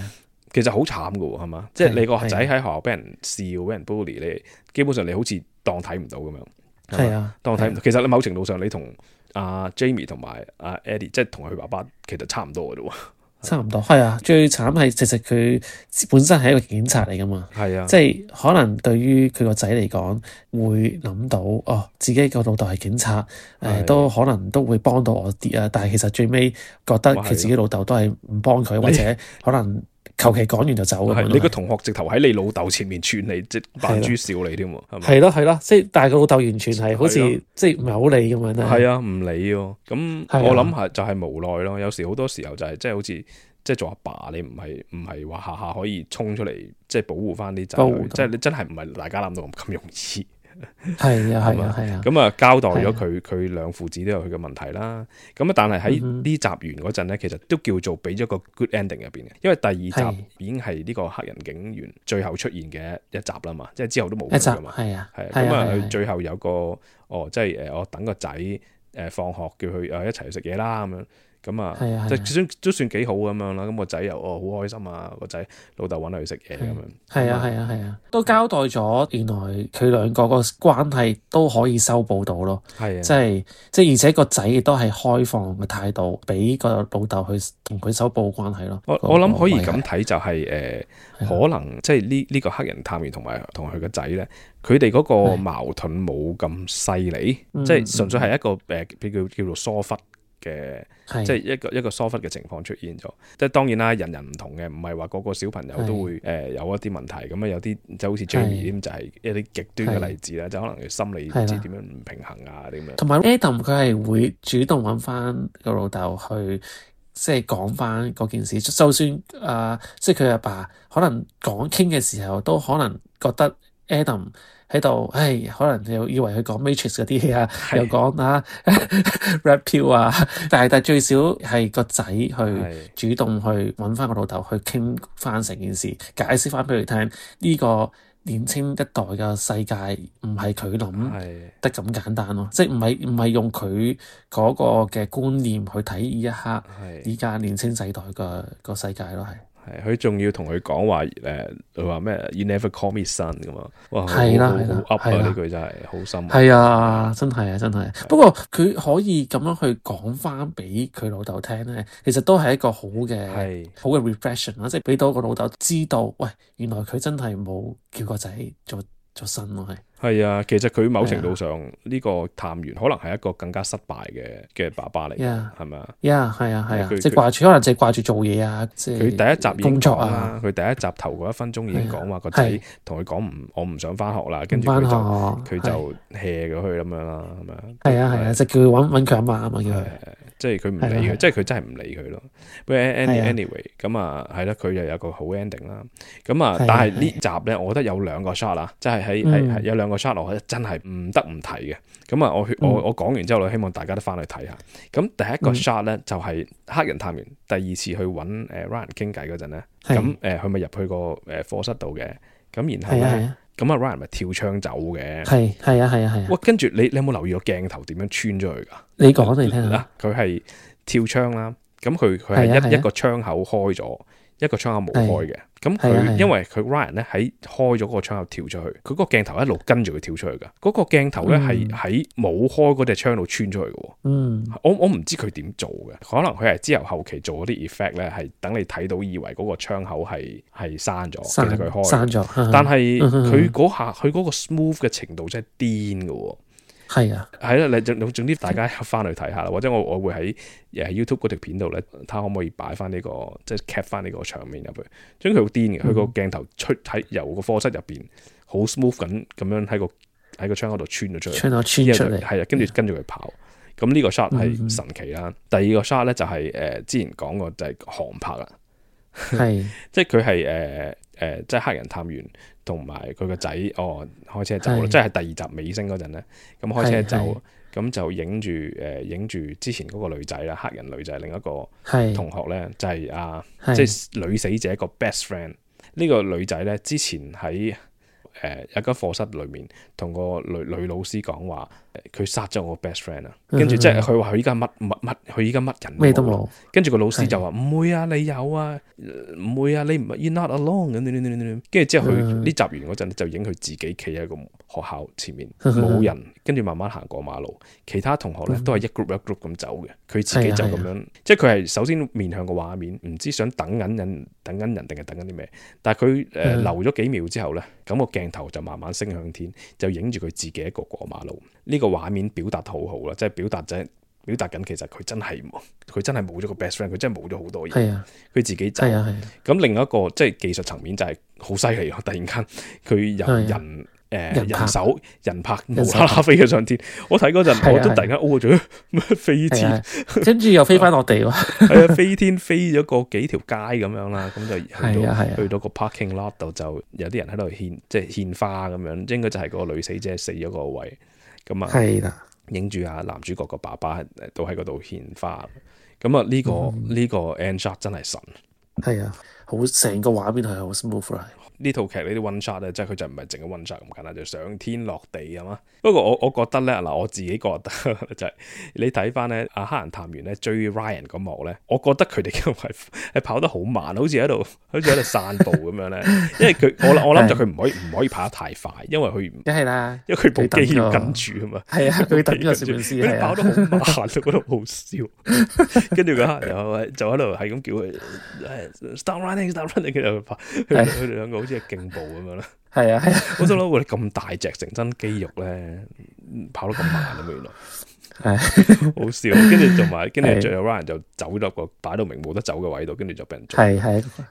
其實好慘噶喎，係嘛？即係你個仔喺學校俾人笑、俾人 bully， 你基本上你好似當睇唔到咁樣。係啊，當睇唔到。其實你某程度上你同阿 Jamie 同埋阿 Eddie， 即係同佢爸爸其實差唔多嘅啫喎。差唔多係啊，最慘係其實佢本身係一個警察嚟噶嘛。係啊，即係可能對於佢個仔嚟講，會諗到自己個老豆係警察，都可能都會幫到我啲啊。但係其實最尾覺得佢自己老豆都係唔幫佢，或者可能求其講完就走咁樣。你個同學直頭喺你老豆前面串你，即扮豬笑你添喎，係咪？係咯，即係但係個老豆完全係好似即係唔係好理咁樣咧。係啊，唔理喎。咁我諗係就係無奈咯。有時好多時候就係即係好似即係做阿爸，你唔係話下下可以衝出嚟即係保護翻啲仔女，即係你真係唔係大家諗到咁容易。係啊，咁啊交代咗佢兩父子都有佢嘅問題啦。咁啊，但係喺呢集完嗰陣咧，其實都叫做俾咗個 good ending 入邊嘅，因為第二集已經係呢個黑人警員最後出現嘅一集啦嘛，即係之後都冇佢噶嘛。係咁啊，佢最後有個即係我等個仔放學叫佢一齊去食嘢啦咁樣。咁啊，都算幾好咁樣啦。咁個仔又好開心啊，個仔老豆揾佢去食嘢咁樣。係啊，都交代咗原來佢兩個個關係都可以修補到咯。係啊，即係而且個仔亦都係開放嘅態度，俾個老豆去同佢修補關係咯。我諗可以咁睇就係可能即係呢個黑人探員同佢個仔咧，佢哋嗰個矛盾冇咁犀利，即係純粹係一個叫做疏忽嘅，即係一個疏忽嘅情況出現咗。即係當然啦，人唔同嘅，唔係話個個小朋友都會有一啲問題。咁啊，有啲就好似 Jamie 咁，就係一啲極端嘅例子啦。就可能佢心理唔知點樣唔平衡啊啲咁樣。同埋 Adam 佢係會主動揾翻個老豆去，即係講翻嗰件事。就算即係佢阿爸可能傾嘅時候，都可能覺得 Adam喺度，可能又以為佢講 Matrix 嗰啲嘢啊，又講Red Pill 啊，但係最少係個仔去主動去揾翻個老豆去傾翻成件事，解釋翻俾佢聽呢個年青一代嘅世界唔係佢諗得咁簡單咯，即係唔係用佢嗰個嘅觀念去睇呢一刻依家年青世代個世界咯，係。佢仲要同佢講話佢話咩 ？You never call me son 咁啊！哇，好 up 啊！呢句真係好深。係啊，真係。不過佢可以咁樣去講翻俾佢老豆聽咧，其實都係一個好嘅 reflection 啦，即係俾到個老豆知道，喂，原來佢真係冇叫個仔做son咯，係啊，其實佢某程度上呢個探員可能係一個更加失敗嘅爸爸嚟，係咪啊？係啊，即係可能淨係掛住做嘢啊！即係佢第一集工作啊，佢第一集頭嗰1分鐘已經講話個仔同佢講我唔想翻學啦，跟住佢就 hea 咗佢咁樣啦，係咪啊？係啊，就叫佢揾佢阿媽啊嘛，叫佢。即係佢唔理佢，即係佢真係唔理佢咯。不過 anyway 咁啊，係啦，佢又有個好 ending 啦。咁啊，但係呢集咧，我覺得有2個 shot 啦，即係係有2個 shot，我覺得真係唔得唔提嘅。咁啊，我講完之後，我希望大家都翻去睇下。咁第一個 shot 咧，就係黑人探員第二次去揾Ryan 傾偈嗰陣咧，咁佢咪入去個課室度嘅。咁然後咧，咁啊 Ryan 咪跳窗走嘅。係啊。哇！跟住你有冇留意個鏡頭點樣穿咗去㗎？你講嚟聽下。佢係跳窗啦，咁佢係啊係一個窗口開咗，一個窗口冇開嘅。咁佢因為佢 Ryan 咧喺開咗嗰個窗口跳出去，佢個鏡頭一路跟住佢跳出去㗎。嗰個鏡頭咧係喺冇開嗰隻窗度穿出去嘅。我唔知佢點做嘅，可能佢係之後期做嗰啲 effect 咧，係等你睇到以為嗰個窗口係閂咗，其實佢開咗。但係佢嗰下佢嗰個 smooth 嘅程度真係癲嘅。係啊，係啦，你總之大家翻去睇下啦，或者我會喺YouTube 嗰條片度咧，睇下可唔可以擺翻呢個即係 cap 翻呢個場面入去。總之佢好癲嘅，佢個鏡頭喺由個課室入邊好 smooth 咁樣喺個窗口度穿咗出嚟，穿出嚟，係啊，跟住佢跑。咁呢個 shot 係神奇啦。第二個 shot 咧就係之前講過就係航拍啦，係即係佢係即係黑人探員同埋佢個仔開車走啦，即係第二集尾聲嗰陣咧，咁開車走，咁就影住之前嗰個女仔啦，黑人女仔，另一個同學咧就係即係女死者個 best friend。呢個女仔咧之前喺有間課室裏面同個女老師講話，佢殺咗我 best friend 啊，跟住即係佢話佢依家佢依家乜人咩都冇，跟住個老師就話唔會啊，你有啊，唔會啊，你唔係 you're not alone 咁，跟住之後佢呢集完嗰陣就影佢自己企喺個學校前面冇人，跟住慢慢行過馬路，其他同學咧都係一 group 一 group 咁走嘅，佢自己就咁樣，即係佢係首先面向個畫面，唔知想等緊人定係等緊啲咩，但係佢留咗幾秒之後咧，咁個鏡頭就慢慢升向天，就影住佢自己一個過馬路。呢個畫面表達得好好啦，即係表達緊其實佢真係冇咗個 best friend， 佢真係冇咗好多嘢。係啊，佢自己走。係啊。咁另一個即係技術層面就係好犀利咯！突然間佢由人拍無啦啦飛咗上天，我睇嗰陣我都突然間咗咩飛天，跟住又飛翻落地喎。係啊，飛天飛咗個幾條街咁樣啦，咁就去到個 parking lot 度，就有啲人喺度獻花咁樣，應該就係個女死者死咗個位。咁啊，係啦，影住啊男主角個爸爸都喺嗰度獻花。咁啊呢個 end shot 真係神。係啊，好成個畫面係好 smooth。呢套劇呢啲 one shot 咧，即係佢就唔係淨係 one shot 咁簡單，就上天落地係嘛。不過我覺得咧，嗱我自己覺得就係你睇翻咧，黑人探員咧追 Ryan 嗰幕咧，我覺得佢哋因為係跑得好慢，好似喺度散步咁樣咧。因為佢我諗就佢唔可以跑得太快，因為佢梗係啦，因為佢部機要跟住啊嘛。係啊，佢等個攝影師係啊，跑得好慢，我覺得好笑。跟住個黑人就喺度係咁叫佢 stop running， 跟住佢哋兩個好似係競步咁樣啦。係啊係啊，我想諗我哋咁大隻成身肌肉咧，跑得咁慢啊，原來係好笑。跟住最後 Ryan 就走咗個擺到明冇得走嘅位度，跟住就俾人捉。係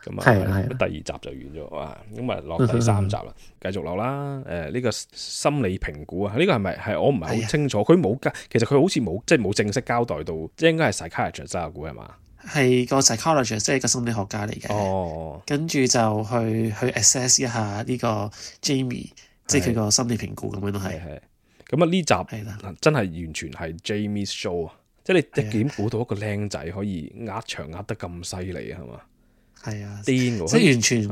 咁啊，第二集就完咗啊，咁啊落第三集啦，繼續落啦。呢個心理評估啊，呢個係咪係我唔係好清楚，佢冇其實佢好似冇正式交代到，即係應該係 psychiatrist 啊，估係嘛？係個 psychologist， 即係個心理學家嚟嘅。跟住就去 assess 一下呢個 Jamie， 即係佢個心理評估咁樣都係。咁啊呢集真係完全係 Jamie's show 啊！即係你一點估到一個僆仔可以壓場壓得咁犀利啊？係嘛？係啊，癲喎！即係完全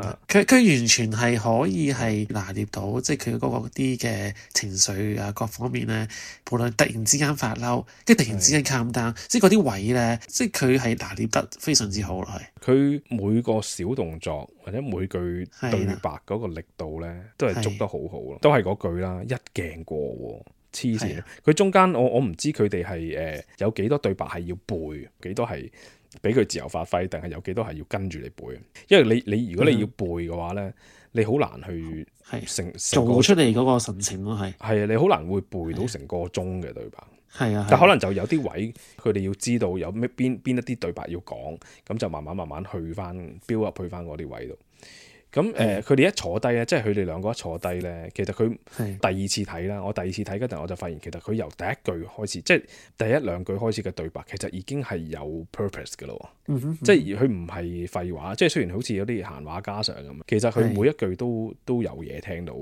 佢完全係可以係拿捏到，即係佢嗰個啲嘅情緒啊各方面咧，無論突然之間發嬲，跟住突然之間 calm down，即係嗰啲位咧，即係佢係拿捏得非常之好咯。係佢每個小動作或者每句對白嗰個力度咧，都係捉得好好咯。都係嗰句啦，一鏡過喎。黐線！佢中間我唔知佢哋係有幾多對白係要背，幾多係俾佢自由發揮，定係有幾多係要跟住你背？因為你如果你要背嘅話咧，你好難去做出嚟嗰個神情咯，係啊，你好難會背到成個鐘嘅對白。係啊，但可能就有啲位佢哋要知道有咩邊一啲對白要講，咁就慢慢去翻 build up 去翻嗰啲位度。咁佢哋一坐低咧，即係佢哋兩個一坐低咧，其實佢第二次睇啦。我第二次睇嗰陣，我就發現其實佢由第一句開始，即係第一兩句開始嘅對白，其實已經係有 purpose 嘅咯。即係佢唔係廢話，即係雖然好似有啲閒話家常咁，其實佢每一句都有嘢聽到。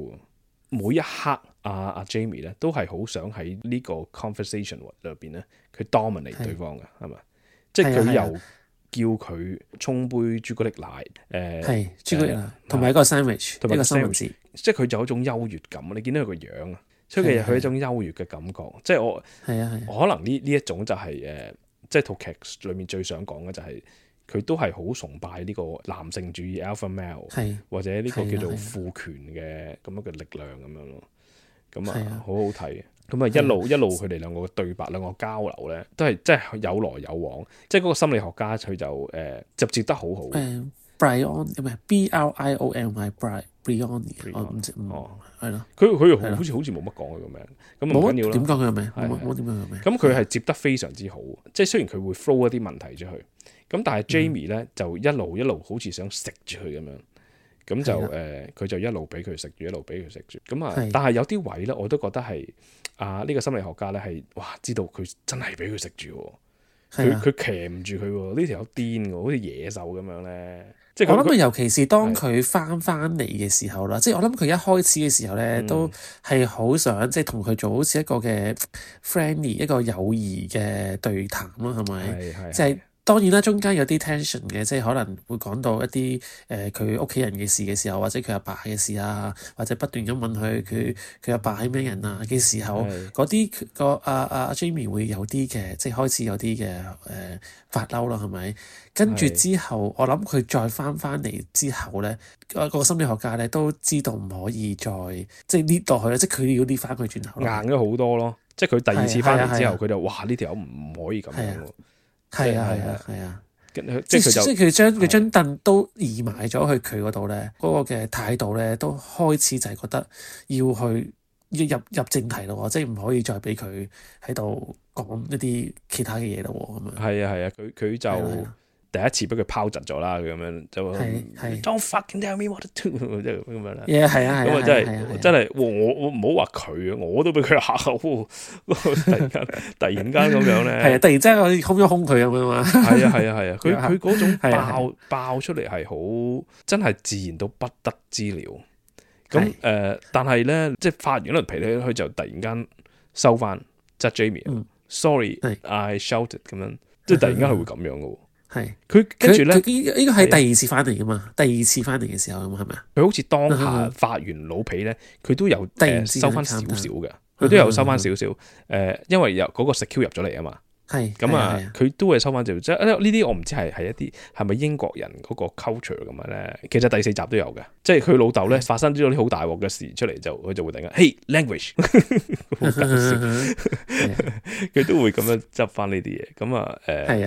每一刻阿 Jamie 咧都係好想喺呢個 conversation 裏邊咧，佢 dominate 對方嘅係咪？即係佢由叫佢沖杯朱古力奶，係朱古力奶，同埋一個 sandwich，同埋一個三文治，即係佢就有一種優越感。你見到佢個樣啊，所以佢有一種優越嘅感覺。即係我可能呢一種就係即係套劇裏面最想講嘅就係佢都係好崇拜呢個男性主義 alpha male，或者呢個叫做父權嘅咁樣嘅力量咁樣咯。咁好好睇。咁啊一路佢哋兩個嘅對白，兩個交流咧，都係真係有來有往。即係嗰個心理學家佢就接得好好。Brion 唔係 Brion， 我唔知係咯。佢好似冇乜講佢個名，咁唔緊要啦。點講佢個名？冇點講佢個名。咁佢係接得非常之好，即係雖然佢會 flow 一啲問題出去，咁但係 Jamie 咧就一路好似想食住佢咁樣。咁就佢就一路俾佢食住，一路俾佢食住。咁啊，但係有啲位咧，我都覺得係呢個心理學家咧係知道佢真係俾佢食住，佢騎唔住佢喎。呢條友癲喎，好似野獸咁樣咧。即係我諗佢尤其是當佢翻嚟嘅時候啦，即係我諗佢一開始嘅時候咧，都係好想即係同佢做好似一個嘅 friendly 一個友誼嘅對談啦，係咪？即係。當然啦，中間有啲 tension 嘅，即係可能會講到一啲佢屋企人嘅事嘅時候，或者佢阿爸嘅事啊，或者不斷咁問佢阿爸係咩人啊嘅時候，嗰啲阿 Jamie 會有啲嘅，即係開始有啲嘅發嬲啦，係咪？跟住之後，我諗佢再翻嚟之後咧，個心理學家咧都知道唔可以再即係搣落去啦，即係佢要搣翻佢轉頭。硬咗好多咯，即係佢第二次翻嚟之後，佢就哇呢條友唔可以咁樣喎。係啊，即係佢將凳都移埋咗去佢嗰度咧，嗰個嘅態度咧都開始就係覺得要去入正題咯，即係唔可以再俾佢喺度講一啲其他嘅嘢咯，咁樣。係啊，佢就第一次俾佢拋窒咗啦，佢咁樣就 Don't fucking tell me what to do， 即係咁樣啦。係啊，咁啊真係我唔好話佢啊，我都俾佢嚇到，突然間咁樣咧。係啊，突然之間我空一空佢咁樣嘛。係啊，佢嗰種爆出嚟係好真係自然到不得之了。咁但係咧，即係發完一輪脾氣，佢就突然間收翻，即係 Jamie，sorry，I shouted 咁樣，即係突然間佢會咁樣嘅喎。係佢跟住咧，呢個係第二次翻嚟噶嘛？第二次翻嚟嘅時候咁係咪啊？佢好似當下發完老脾咧，佢都有收翻少少嘅，佢都有收翻少少。因為有嗰個 secure 入咗嚟啊嘛。係咁啊，佢都會收翻少少。即係呢啲我唔知係一啲係咪英國人嗰個 culture 咁樣咧？其實第4集都有嘅，即係佢老豆咧發生咗啲好大鑊嘅事出嚟，佢就會突然間 Hey language， 好搞笑，佢都會咁樣執翻呢啲嘢。咁啊咁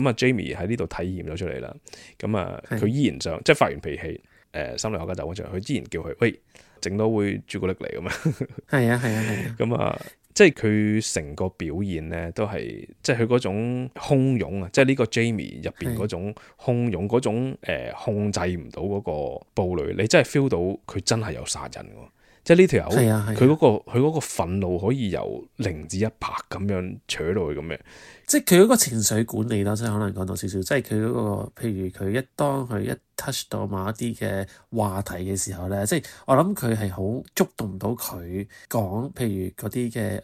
啊 Jamie 喺呢度體驗咗出嚟啦。咁啊佢依然想即係發完脾氣，心理學家就揾出嚟，佢依然叫佢喂整多杯朱古力嚟咁樣。係啊。咁啊。即係佢成個表現咧，都係即係佢嗰種洶湧啊！即係呢個 Jamie 入邊嗰種洶湧，嗰種控制唔到嗰個暴戾，你真係 feel 到佢真係有殺人喎！即係呢條友，佢嗰個憤怒可以由0至100咁樣扯到去咁嘅。即係佢嗰個情緒管理啦，即係可能講到少少，即係佢嗰個，譬如佢當佢一 touch 到某一啲嘅話題嘅時候咧，即係我諗佢係好觸動到佢講，譬如嗰啲嘅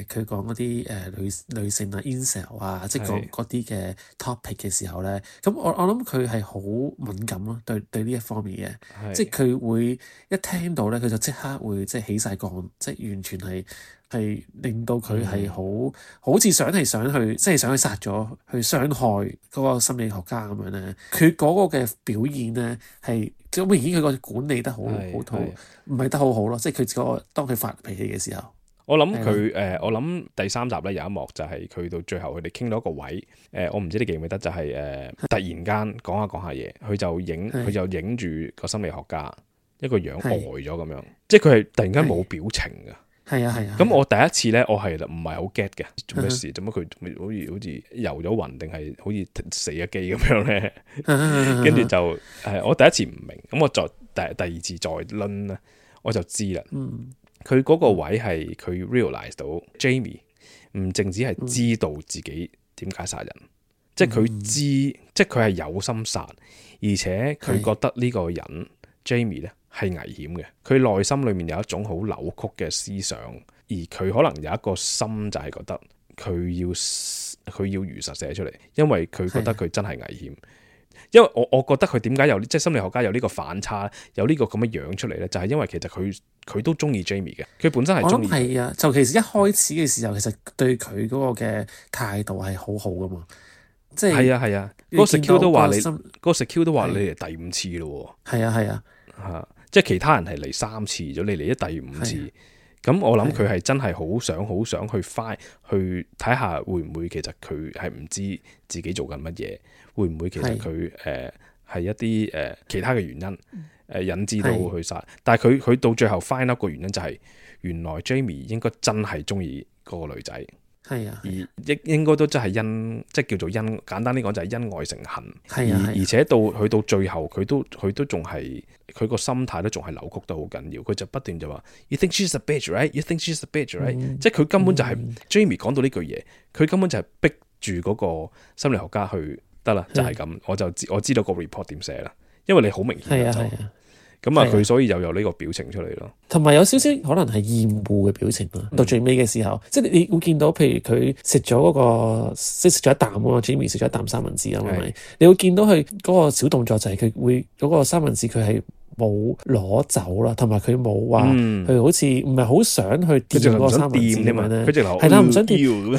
佢講嗰啲女性啊 incel 啊，即係講嗰啲嘅 topic 嘅時候咧，咁我諗佢係好敏感咯，對呢一方面嘅，即係佢會一聽到咧，佢就即刻會即係起晒槓，即係完全係令到佢係好似想去即係想去殺咗去傷害嗰個心理學家咁樣咧，佢嗰個嘅表現咧係好明顯佢個管理得好唔係得好好咯，即係佢當佢發脾氣嘅時候。我諗佢我諗第3集咧有一幕就係佢到最後佢哋傾到一個位，我唔知你記唔記得，就係突然間講下嘢，佢就影住個心理學家一個樣呆咗咁樣，即係佢係突然間冇表情㗎。係啊。咁我第一次咧，我係唔係好 get 嘅，做咩事？做乜佢好似遊咗暈，定係好似死咗機咁樣咧？跟住就我第一次唔明，咁我再第二次再論咧，我就知啦。佢嗰個位係佢 realize 到 Jamie 唔淨止係知道自己點解殺人，即係佢知，即係佢係有心殺，而且佢覺得呢個人 Jamie 咧係危險嘅。佢內心裏面有一種好扭曲嘅思想，而佢可能有一個心就係覺得佢要佢要如實寫出嚟，因為佢覺得佢真係危險。因為我覺得佢點解有即係心理學家有呢個反差，有呢個咁嘅樣出嚟咧，就係因為其實佢都中意 Jamie 嘅，佢本身係中意。我諗係啊，就其實一開始嘅時候，其實對佢嗰個嘅態度係好好噶嘛，即係係啊，嗰個 secure 都話你，嗰個 secure 都話你嚟第五次咯。係啊，嚇，即係其他人係嚟3次咗，你嚟咗第5次。咁我諗佢係真係好想去去睇下會唔會其實佢係唔知自己做緊乜嘢，會唔會其實佢係一啲其他嘅原因引致到去殺，但係佢到最後 find out 個原因就係原來 Jamie 應該真係中意嗰個女仔。係啊，而應該都真係即係叫做簡單啲講就係因愛成恨。而且去到最後佢都仲係佢個心態都仲係扭曲得好緊要，佢就不斷就話 You think she's a bitch, right? You think she's a bitch, right? 即係佢根本就係 Jamie 講到呢句嘢，佢根本就係逼住嗰個心理學家去得啦，就係咁，我知道個 report 點寫啦，因為你好明顯咁啊，佢所以又有呢個表情出嚟咯，同埋有少少可能係厭惡嘅表情啦。到最尾嘅時候，即係你會見到，譬如佢食咗嗰個，即係食咗一啖啊 Jamie 食咗一啖三文治啊，係咪？你會見到佢嗰個小動作就係佢會嗰個三文治佢係冇攞走啦，同埋佢冇話佢好似唔係好想去掂嗰個三文治咁樣咧，係啦，唔想掂，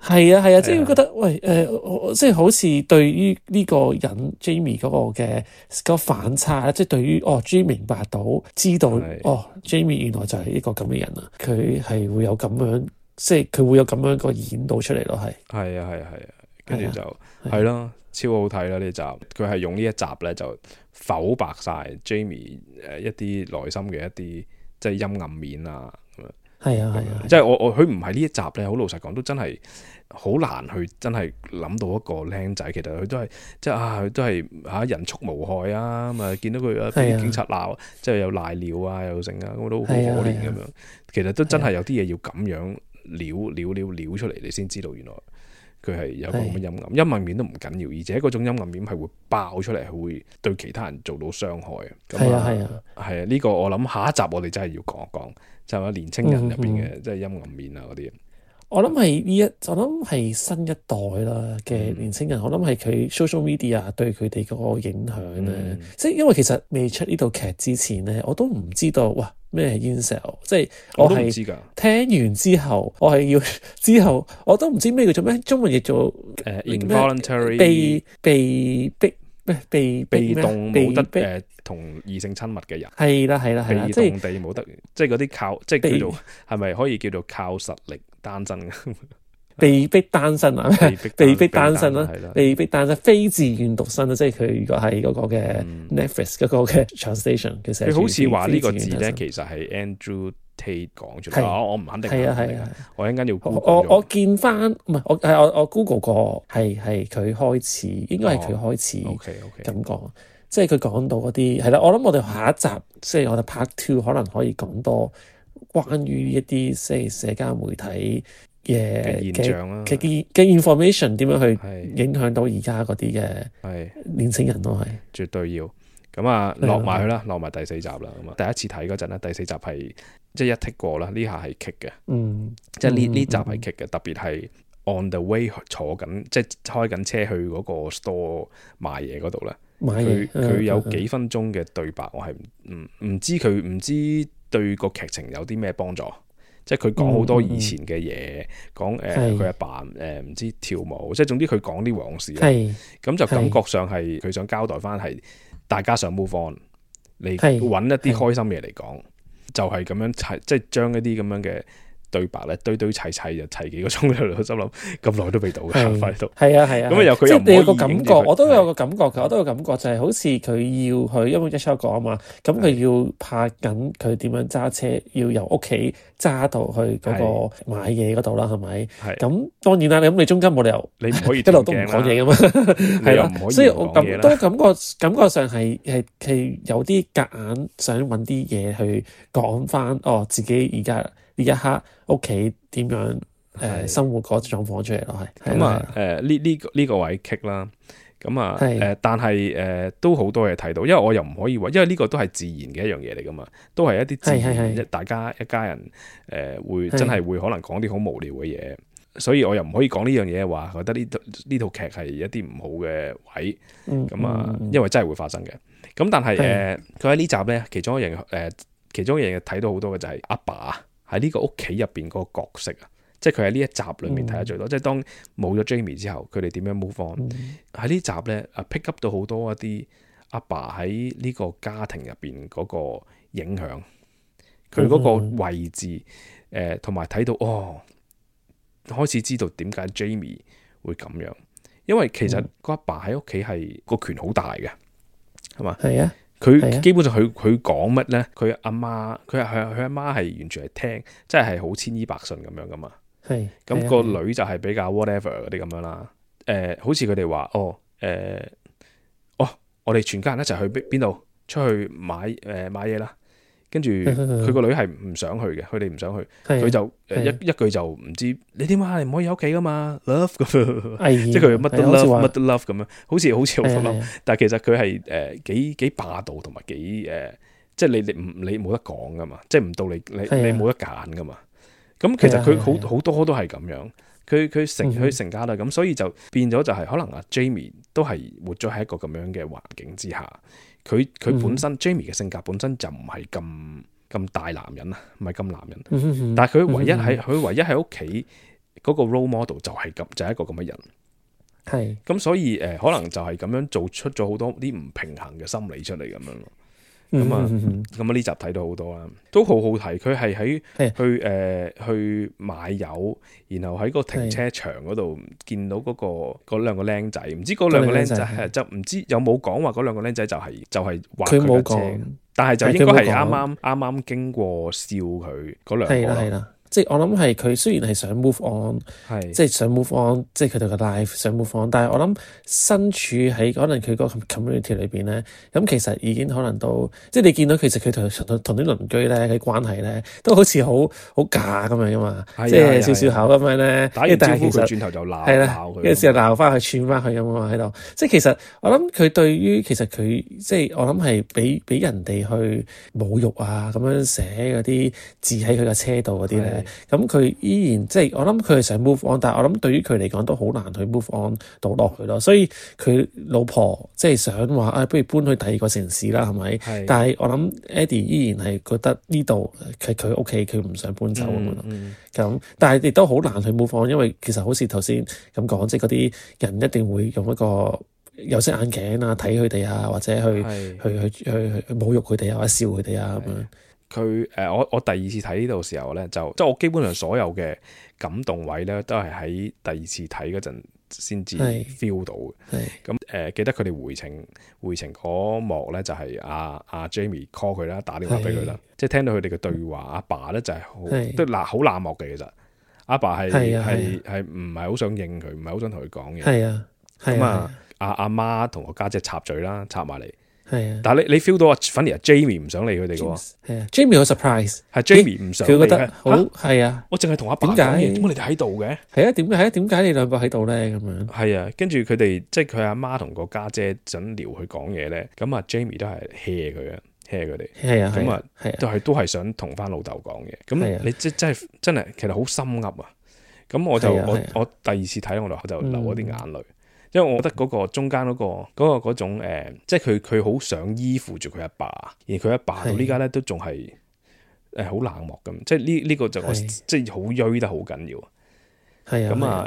係啊，即係覺得喂即係好似對於呢個人 Jamie 嗰個嘅嗰個反差，即係對於Jamie 明白到知道Jamie 原來就係一個咁嘅人啊，佢係會有咁樣，即係佢會有咁樣個演導出嚟咯，係啊，跟住就係咯，超好睇啦呢集，佢係用呢一集咧就剖白晒 Jamie 一啲內心嘅一啲即係陰暗面啊，係啊，即係佢唔係呢一集咧，好老實講都真係好難去真係諗到一個僆仔，其實佢都係即係佢都係人畜無害啊，咁啊見到佢俾警察鬧，即係有賴尿啊又剩啊，咁都好可憐咁樣。其實都真係有啲嘢要咁樣撩出嚟，你先知道原來佢係有個咁嘅陰暗面都唔緊要，而且嗰種陰暗面係會爆出嚟，係會對其他人做到傷害嘅。係啊，呢個我諗下一集我哋真係要講一講，就係年青人入邊嘅即係陰暗面啊嗰啲。我諗係我諗係新一代啦嘅年青人，我諗係佢 social media 對佢哋嗰個影響咧。即係因為其實未出呢套劇之前咧，我都唔知道哇咩係 incel， 即係我係聽完之後，我係要之後我都唔知咩叫做咩，中文譯做involuntary 被動冇得同異性親密嘅人，係啦，被動地冇得，即係嗰啲靠，即係叫做係咪可以叫做靠實力單身嘅？被逼單身啊，被逼單身啦，被逼單身，非自願獨身啦，即係佢如果係嗰個嘅 Netflix 嗰個嘅 translation 嘅寫，佢好似話呢個字咧，其實係 Andrew Tate 講出嚟，我唔肯定，我一陣間要 Google 我見翻唔係我 Google 過係佢開始，應該係佢開始咁講，即係佢講到嗰啲係啦。我諗我哋下一集即係我哋 Part 2可能可以講多關於一啲即係社交媒體嘅現象啦，嘅 information 點樣去影響到而家嗰啲嘅年青人咯，係絕對要咁啊，落埋去啦，落埋第4集啦。咁啊，第一次睇嗰陣咧，第4集係即係一剔過啦，呢下係棘嘅，即係呢集係棘嘅，特別係 on the way 坐緊，即係開緊車去嗰個 store 買嘢嗰度咧，佢有幾分鐘嘅對白，我係唔知對個劇情有啲咩幫助。即係佢講好多以前嘅嘢，講佢阿爸唔知跳舞，即係總之佢講啲往事，咁就感覺上係佢想交代翻係大家想 move on，你揾一啲開心嘢嚟講，就係咁樣即係將一啲咁樣嘅對白咧堆砌就砌幾個鐘喺度，心諗咁耐都未到嘅，快到係啊，咁又佢又你有個感覺，我都有個感覺嘅，我都有感覺就係好似佢要去，因為一出講啊嘛，咁佢要拍緊佢點樣揸車，要由屋企揸到去嗰個買嘢嗰度啦，係咪？咁當然啦，咁你中間冇理由你唔可以一路都唔講嘢噶嘛，係啦，所以我都感覺上係有啲夾硬想揾啲嘢去講翻自己而家呢一刻屋企點樣生活嗰狀況出嚟咯，係咁啊呢個位棘啦，咁啊但係都好多嘢睇到，因為我又唔可以話，因為呢個都係自然嘅一樣嘢嚟噶嘛，都係一啲自然大家一家人會真係會可能講啲好無聊嘅嘢，所以我又唔可以講呢樣嘢話，覺得呢套劇係一啲唔好嘅位，因為真係會發生嘅。咁但係佢喺呢集咧，其中一樣嘢睇到好多嘅就係阿爸喺呢個屋企入邊嗰個角色啊，即係佢喺呢一集裏面睇得最多。即係當冇咗 Jamie 之後，佢哋點樣 move on？喺呢集咧pick up 到好多一啲阿爸喺呢個家庭入邊嗰個影響，佢嗰個位置同埋睇到開始知道點解 Jamie 會咁樣，因為其實個阿爸喺屋企係個權好大嘅，係嘛？係啊，佢基本上佢講乜咧，佢阿媽佢阿媽係完全係聽，即係好千依百順咁樣噶嘛。係咁個女就係比較 whatever 嗰啲咁樣啦。好似佢哋話我哋全家人一齊去邊度出去買嘢啦。跟住佢個女係唔想去嘅，佢哋唔想去，佢就一句就唔知你點解你唔可以喺屋企噶嘛 ，love 咁，即係佢乜都 love 乜都 love 咁樣，好似好 love，但係其實佢係幾霸道同埋幾即係你冇得講噶嘛，即係唔到你冇得揀噶嘛。咁其實佢好多都係咁樣，佢成家啦，咁所以就變咗就係可能阿 Jamie 都係活咗喺一個咁樣嘅環境之下。佢本身 Jamie 嘅性格本身就唔係咁大男人啊，唔係咁男人。但係佢唯一喺屋企嗰個 role model 就係一個咁嘅人。係咁，所以可能就係咁樣做出咗好多啲唔平衡嘅心理出嚟咁樣咯。咁啊呢集睇到好多啦，都好好睇。佢係去買油，然後喺個停車場嗰度見到嗰兩個僆仔，唔知嗰兩個僆仔就唔知有冇講話嗰兩個僆仔就係畫佢架車，但係就應該係啱啱經過笑佢嗰兩個。即係我諗係佢雖然係想 move on， 即係想 move on， 即係佢哋嘅 life 想 move on， 但係我諗身處喺可能佢個 community 裏邊咧，咁其實已經可能都即係你見到其實佢同啲鄰居咧嘅關係咧，都好似好假咁樣噶嘛，即係笑笑口咁樣咧，打完招呼佢轉頭就鬧佢，有時候鬧翻佢串翻佢咁啊喺度。即係其實我諗佢對於其實佢即係我諗係俾人哋去侮辱啊咁樣寫嗰啲字喺佢個車度嗰啲咧。咁佢依然即係我諗佢係想 move on， 但係我諗對於佢嚟講都好難去 move on 到落去咯。所以佢老婆即係想話不如搬去第二個城市啦，係咪？但係我諗 Eddie 依然係覺得呢度係佢屋企，佢唔想搬走咁樣。咁但係亦都好難去 move on，因為其實好似頭先咁講，即係嗰啲人一定會用一個有色眼鏡啊睇佢哋啊，或者去侮辱佢哋啊，或者笑佢哋啊咁樣。佢我第二次睇呢度時候咧，即係我基本上所有嘅感動位咧，都係喺第二次睇嗰陣先至 feel 到嘅。咁記得佢哋回程嗰幕咧，就係阿 Jamie call 佢啦，打電話俾佢啦，即係聽到佢哋嘅對話。阿爸咧就係都好冷漠嘅，其實阿爸係唔係好想應佢，唔係好想同佢講嘢。咁阿媽同個家姐插嘴啦，插埋嚟。但係你 feel 到反而 Jamie 唔想理佢哋嘅喎。Jamie 好 surprise， 係 Jamie 唔想理，佢覺得好我淨係同阿爸講嘢，點解你哋喺度嘅？點解你兩個喺度咧？咁樣係啊，跟住佢哋即係佢阿媽同個家姐想撩佢講嘢咧，咁啊 Jamie 都係 hea 佢嘅 hea 佢哋，咁啊都係想同翻老豆講嘢。咁你真係其實好心噏啊！咁我第二次睇我就流咗啲眼淚。因為我覺得嗰個中間嗰種即係佢好想依附住佢阿爸，而佢阿爸到呢家咧都仲係好冷漠咁，即係呢個就即係好衰得好緊要。咁啊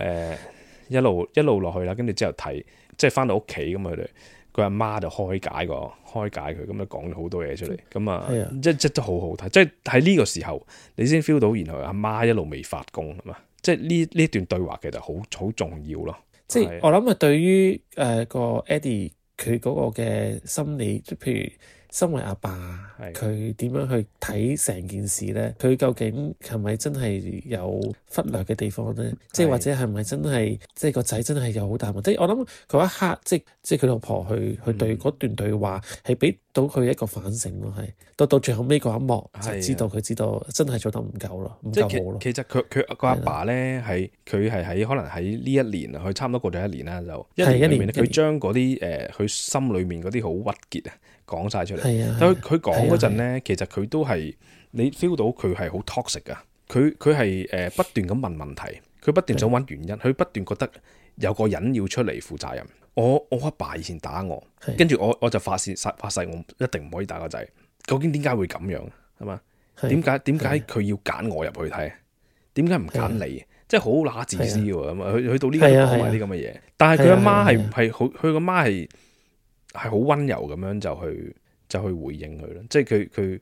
一路落去啦，跟住之後睇，即係翻到屋企咁佢阿媽就開解佢，咁就講咗好多嘢出嚟。咁啊即都好好睇，即係喺呢個時候你先 feel 到，然後阿媽一路未發功係嘛，即係呢段對話其實好重要咯。即係我諗對於個 Eddie 佢嗰個嘅心理，即譬如身為阿爸，佢點樣去睇成件事咧？佢究竟係咪真係有忽略嘅地方咧？即係或者係咪真係即係個仔真係有好大問題？我諗嗰一刻，即係佢老婆去對嗰段對話係俾到佢一個反省咯，係到最後尾嗰一幕就知道佢知道真係做得唔夠咯，唔夠好咯。其實佢個阿爸咧佢係喺可能喺呢一年啊，佢差唔多過咗一年啦，就一年裏面佢將嗰啲佢心裏面嗰啲好鬱結啊講晒出嚟。但佢講嗰陣咧，其實佢都係你 feel 到佢係好 toxic 噶，佢係不斷咁問問題，佢不斷想揾原因，佢不斷覺得有個人要出嚟負責任。我阿爸以前打我，跟住我就發誓我一定唔可以打個仔。究竟點解會咁樣？係嘛？點解佢要揀我入去睇？點解唔揀你？即係好乸自私喎，咁啊，去到呢個講埋啲咁嘅嘢。但係佢阿媽係好，佢個媽係好溫柔咁樣就去回應佢咯。即係佢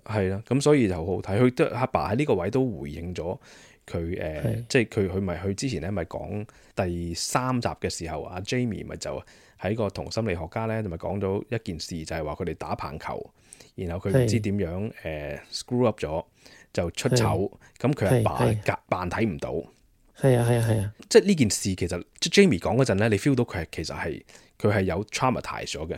係啦，咁所以就好好睇。佢都阿爸喺呢個位都回應咗佢即係佢之前咧咪講第3集嘅時候，阿 Jamie 咪就喺個同心理學家咧咪講咗一件事，就係話佢哋打棒球，然後佢唔知點樣screw up 咗。就出醜，咁佢阿爸扮睇唔到。係啊，即係呢件事其實即 Jamie 講嗰陣咧，你 feel 到佢其實佢係有 traumatize 咗嘅。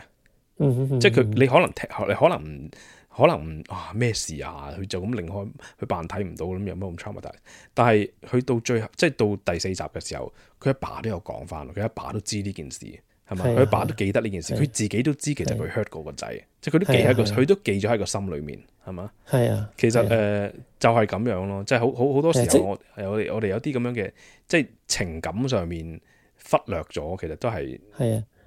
即係你可能咩事啊？佢就咁擰開，佢扮睇唔到咁有乜咁 traumatize？但係去到最後，即係到第4集嘅時候，佢阿爸都有講翻，佢阿爸都知呢件事。係咪？佢阿爸都記得呢件事，佢自己都知其實佢 hurt 過個仔，即係佢都記咗喺個心裏面，係嘛？係啊，其實就係咁樣咯，即係好多時候我哋有啲咁樣嘅，即係情感上面忽略咗，其實都係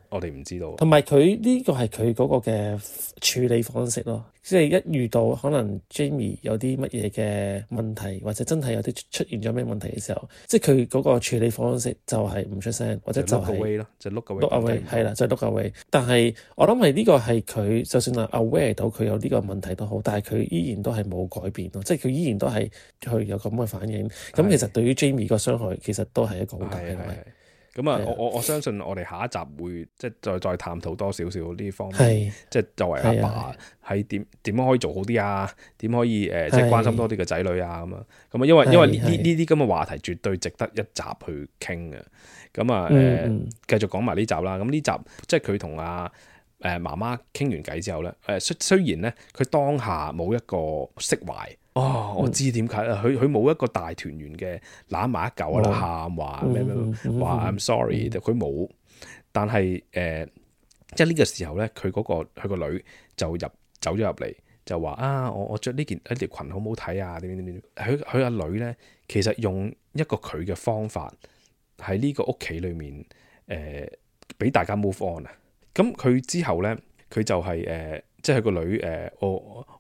我哋唔知道。同埋佢呢個係佢嗰個嘅處理方式咯，即係一遇到可能 Jamie 有啲乜嘢嘅問題，或者真係有啲出現咗咩問題嘅時候，即係佢嗰個處理方式就係唔出聲，或者就係 look away 咯，就 look away 係啦，就 look away。但係我諗係呢個係佢就算係 aware 到佢有呢個問題都好，但係佢依然都係冇改變咯，即係佢依然都係去有咁嘅反應。咁其實對於 Jamie 個傷害其實都係一個好大嘅。咁啊，我相信我哋下一集會即係再探討多少少呢方面，即係作為阿爸係點樣可以做好啲啊？點可以即係關心多啲嘅仔女啊？咁啊，因為呢啲咁嘅話題絕對值得一集去傾嘅。咁啊繼續講埋呢集啦。咁呢集即係佢同阿媽媽傾完偈之後咧，雖然咧佢當下冇一個釋懷。我知點解啦，佢冇一個大團圓嘅攬埋一嚿啦，喊話咩話 I'm sorry，佢冇。但係即係呢個時候咧，佢個女就走咗入嚟，就話我着呢條裙好唔好睇啊？點？佢阿女咧，其實用一個佢嘅方法喺呢個屋企裏面俾大家 move on 啊。咁佢之後咧，佢就係即係佢個女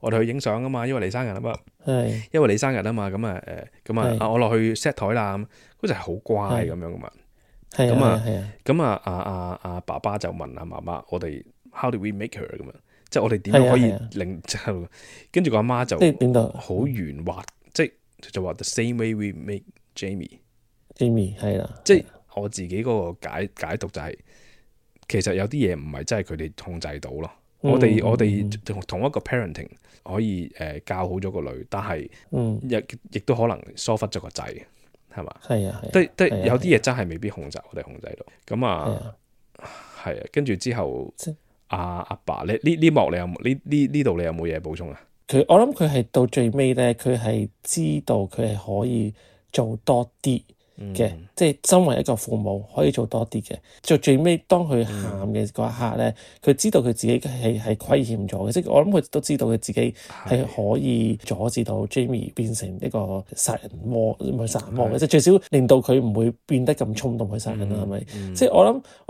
我哋去影相啊嘛，因為你生日啊嘛，因為你生日啊嘛，咁我落去 set 台啦，咁嗰就係好乖咁樣噶嘛，咁阿爸爸就問阿媽媽，我哋 how do we make her 咁樣，即係我哋點樣可以令之後，跟住個阿媽就好圓滑，即係就話 the same way we make Jamie 係啦，即係我自己嗰個解讀就係，其實有啲嘢唔係真係佢哋控制到咯。我哋同一個 parenting 可以教好咗個女，但係亦都可能疏忽咗個仔，係嘛？係啊，有啲嘢真係未必我哋控制到。咁係啊，跟住之後阿爸，呢幕你有冇呢度你有冇嘢補充啊？我諗佢係到最尾咧，佢係知道佢係可以做多啲嘅，即係身為一個父母可以做多啲嘅。最尾當佢喊嘅嗰一刻咧，佢知道佢自己係虧欠咗嘅，即係我諗佢都知道佢自己係可以阻止到 Jamie 變成一個殺人魔，唔係殺人魔嘅，即係最少令到佢唔會變得咁衝動去殺人啦，係咪？即係我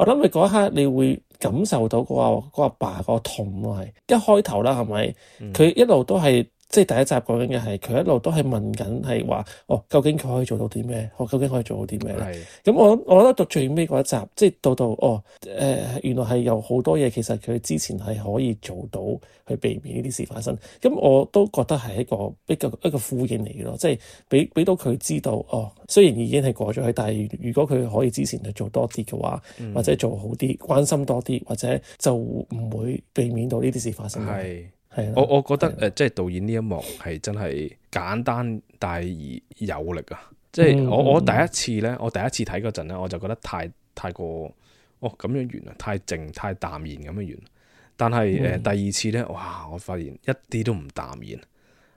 諗佢嗰一刻你會感受到嗰個阿爸嗰個痛咯，係一開頭啦，係咪？佢一路都係。即係第一集講緊嘅係，佢一路都係問緊係話，究竟佢可以做到啲咩？究竟可以做到啲咩咧？咁我覺得到最尾嗰一集，即係到原來係有好多嘢，其實佢之前係可以做到去避免呢啲事發生。咁我都覺得係一個呼應嚟嘅咯，即係俾到佢知道，雖然已經係過咗去，但係如果佢可以之前去做多啲嘅話，或者做好啲，關心多啲，或者就唔會避免到呢啲事發生。我覺得即係導演呢一幕係真係簡單但係而有力啊！即係我第一次睇嗰陣咧，我就覺得太過咁樣完啦，太靜太淡然咁樣完。但係第二次咧，哇！我發現一啲都唔淡然，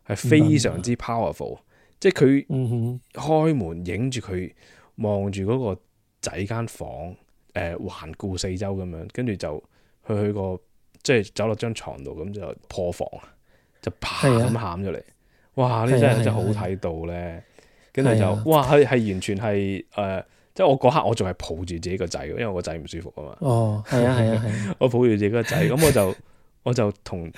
係非常之 powerful。即係佢開門影住佢望住嗰個仔間房，環顧四周咁樣，跟住就去個。即係走落張床度咁就破防，就啪咁喊咗嚟。哇！呢真係好睇到咧。跟住就係啊哇係完全係即係我嗰刻我仲係抱住自己個仔，因為我個仔唔舒服啊嘛。哦，係啊，係啊，係啊，我抱住自己個仔，咁我就同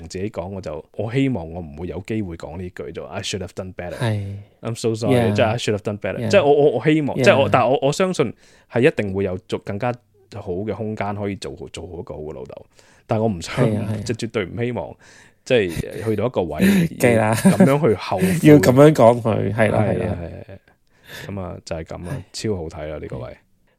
自己講，我希望我唔會有機會講呢句就 I should have done better。係 I'm so sorry， Yeah. 即係 I should have done better。 Yeah. 即係我希望， Yeah. 即係但係我相信係一定會有更加好嘅空間可以做好一個好嘅老豆。但係我唔想，係啊係啊即係絕對唔希望，即係去到一個位記啦咁樣去後悔要咁樣講佢，係啦，係啦。咁啊就係咁啦，超好睇啦呢個位。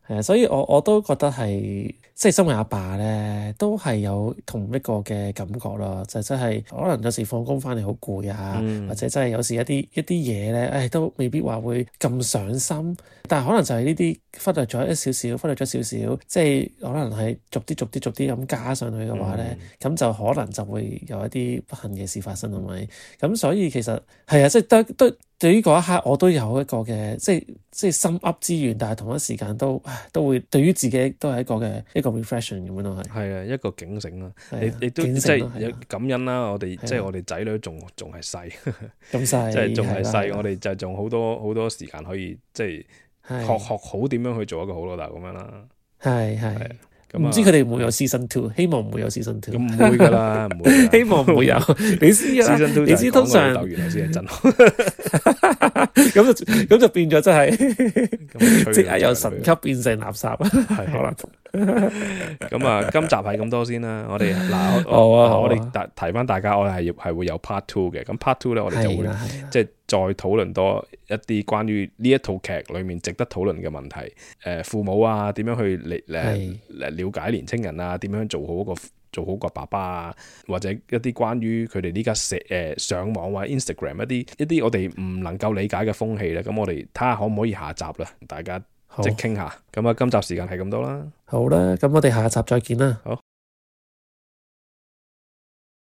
係啊，所以我都覺得係，即係身為阿爸咧，都係有同一個嘅感覺咯，就真係可能有時放工翻嚟好攰啊，或者真係有時一啲嘢咧，都未必話會咁上心，但係可能就係呢啲忽略咗少少，即係可能係逐啲咁加上去嘅話咧，咁就可能就會有一啲不幸嘅事發生，係咪？咁所以其實係啊，即係都對於嗰一刻我都有一個嘅，即係心噏之餘，但係同一時間都會對於自己都係一個 reflection 咁樣咯，係啊，一個警醒啦。你都警即醒咯係啊係感恩啦。我哋即係我哋仔女仲係細，咁細，即係仲係係啦細，我哋就仲好多時間可以即係係學好點樣去做一個好老豆咁樣啦。係咁啊唔知佢哋會唔會有 season two？希望唔會有 season two。咁唔會㗎啦，唔會㗎啦。希望唔會有，你知㗎啦。 Season 2你知通常就係講個老豆原來先係真，咁就變咗真係咁即係由神級變成垃圾，係可能。咁啊，今集係咁多先啦。我哋好啊我哋提翻大家，我哋係會有 part two 嘅。咁 part two 咧，我哋就會即係再討論多一啲關於呢一套劇裏面值得討論嘅問題。父母啊，點樣去了解年青人啊？點樣做好個爸爸啊？或者一啲關於佢哋呢家上網或者 Instagram 一啲我哋唔能夠理解嘅風氣咧。咁我哋睇下可唔可以下集啦，大家即係傾下。咁啊，今集時間係咁多啦。好啦，咁我哋下集再見啦。好。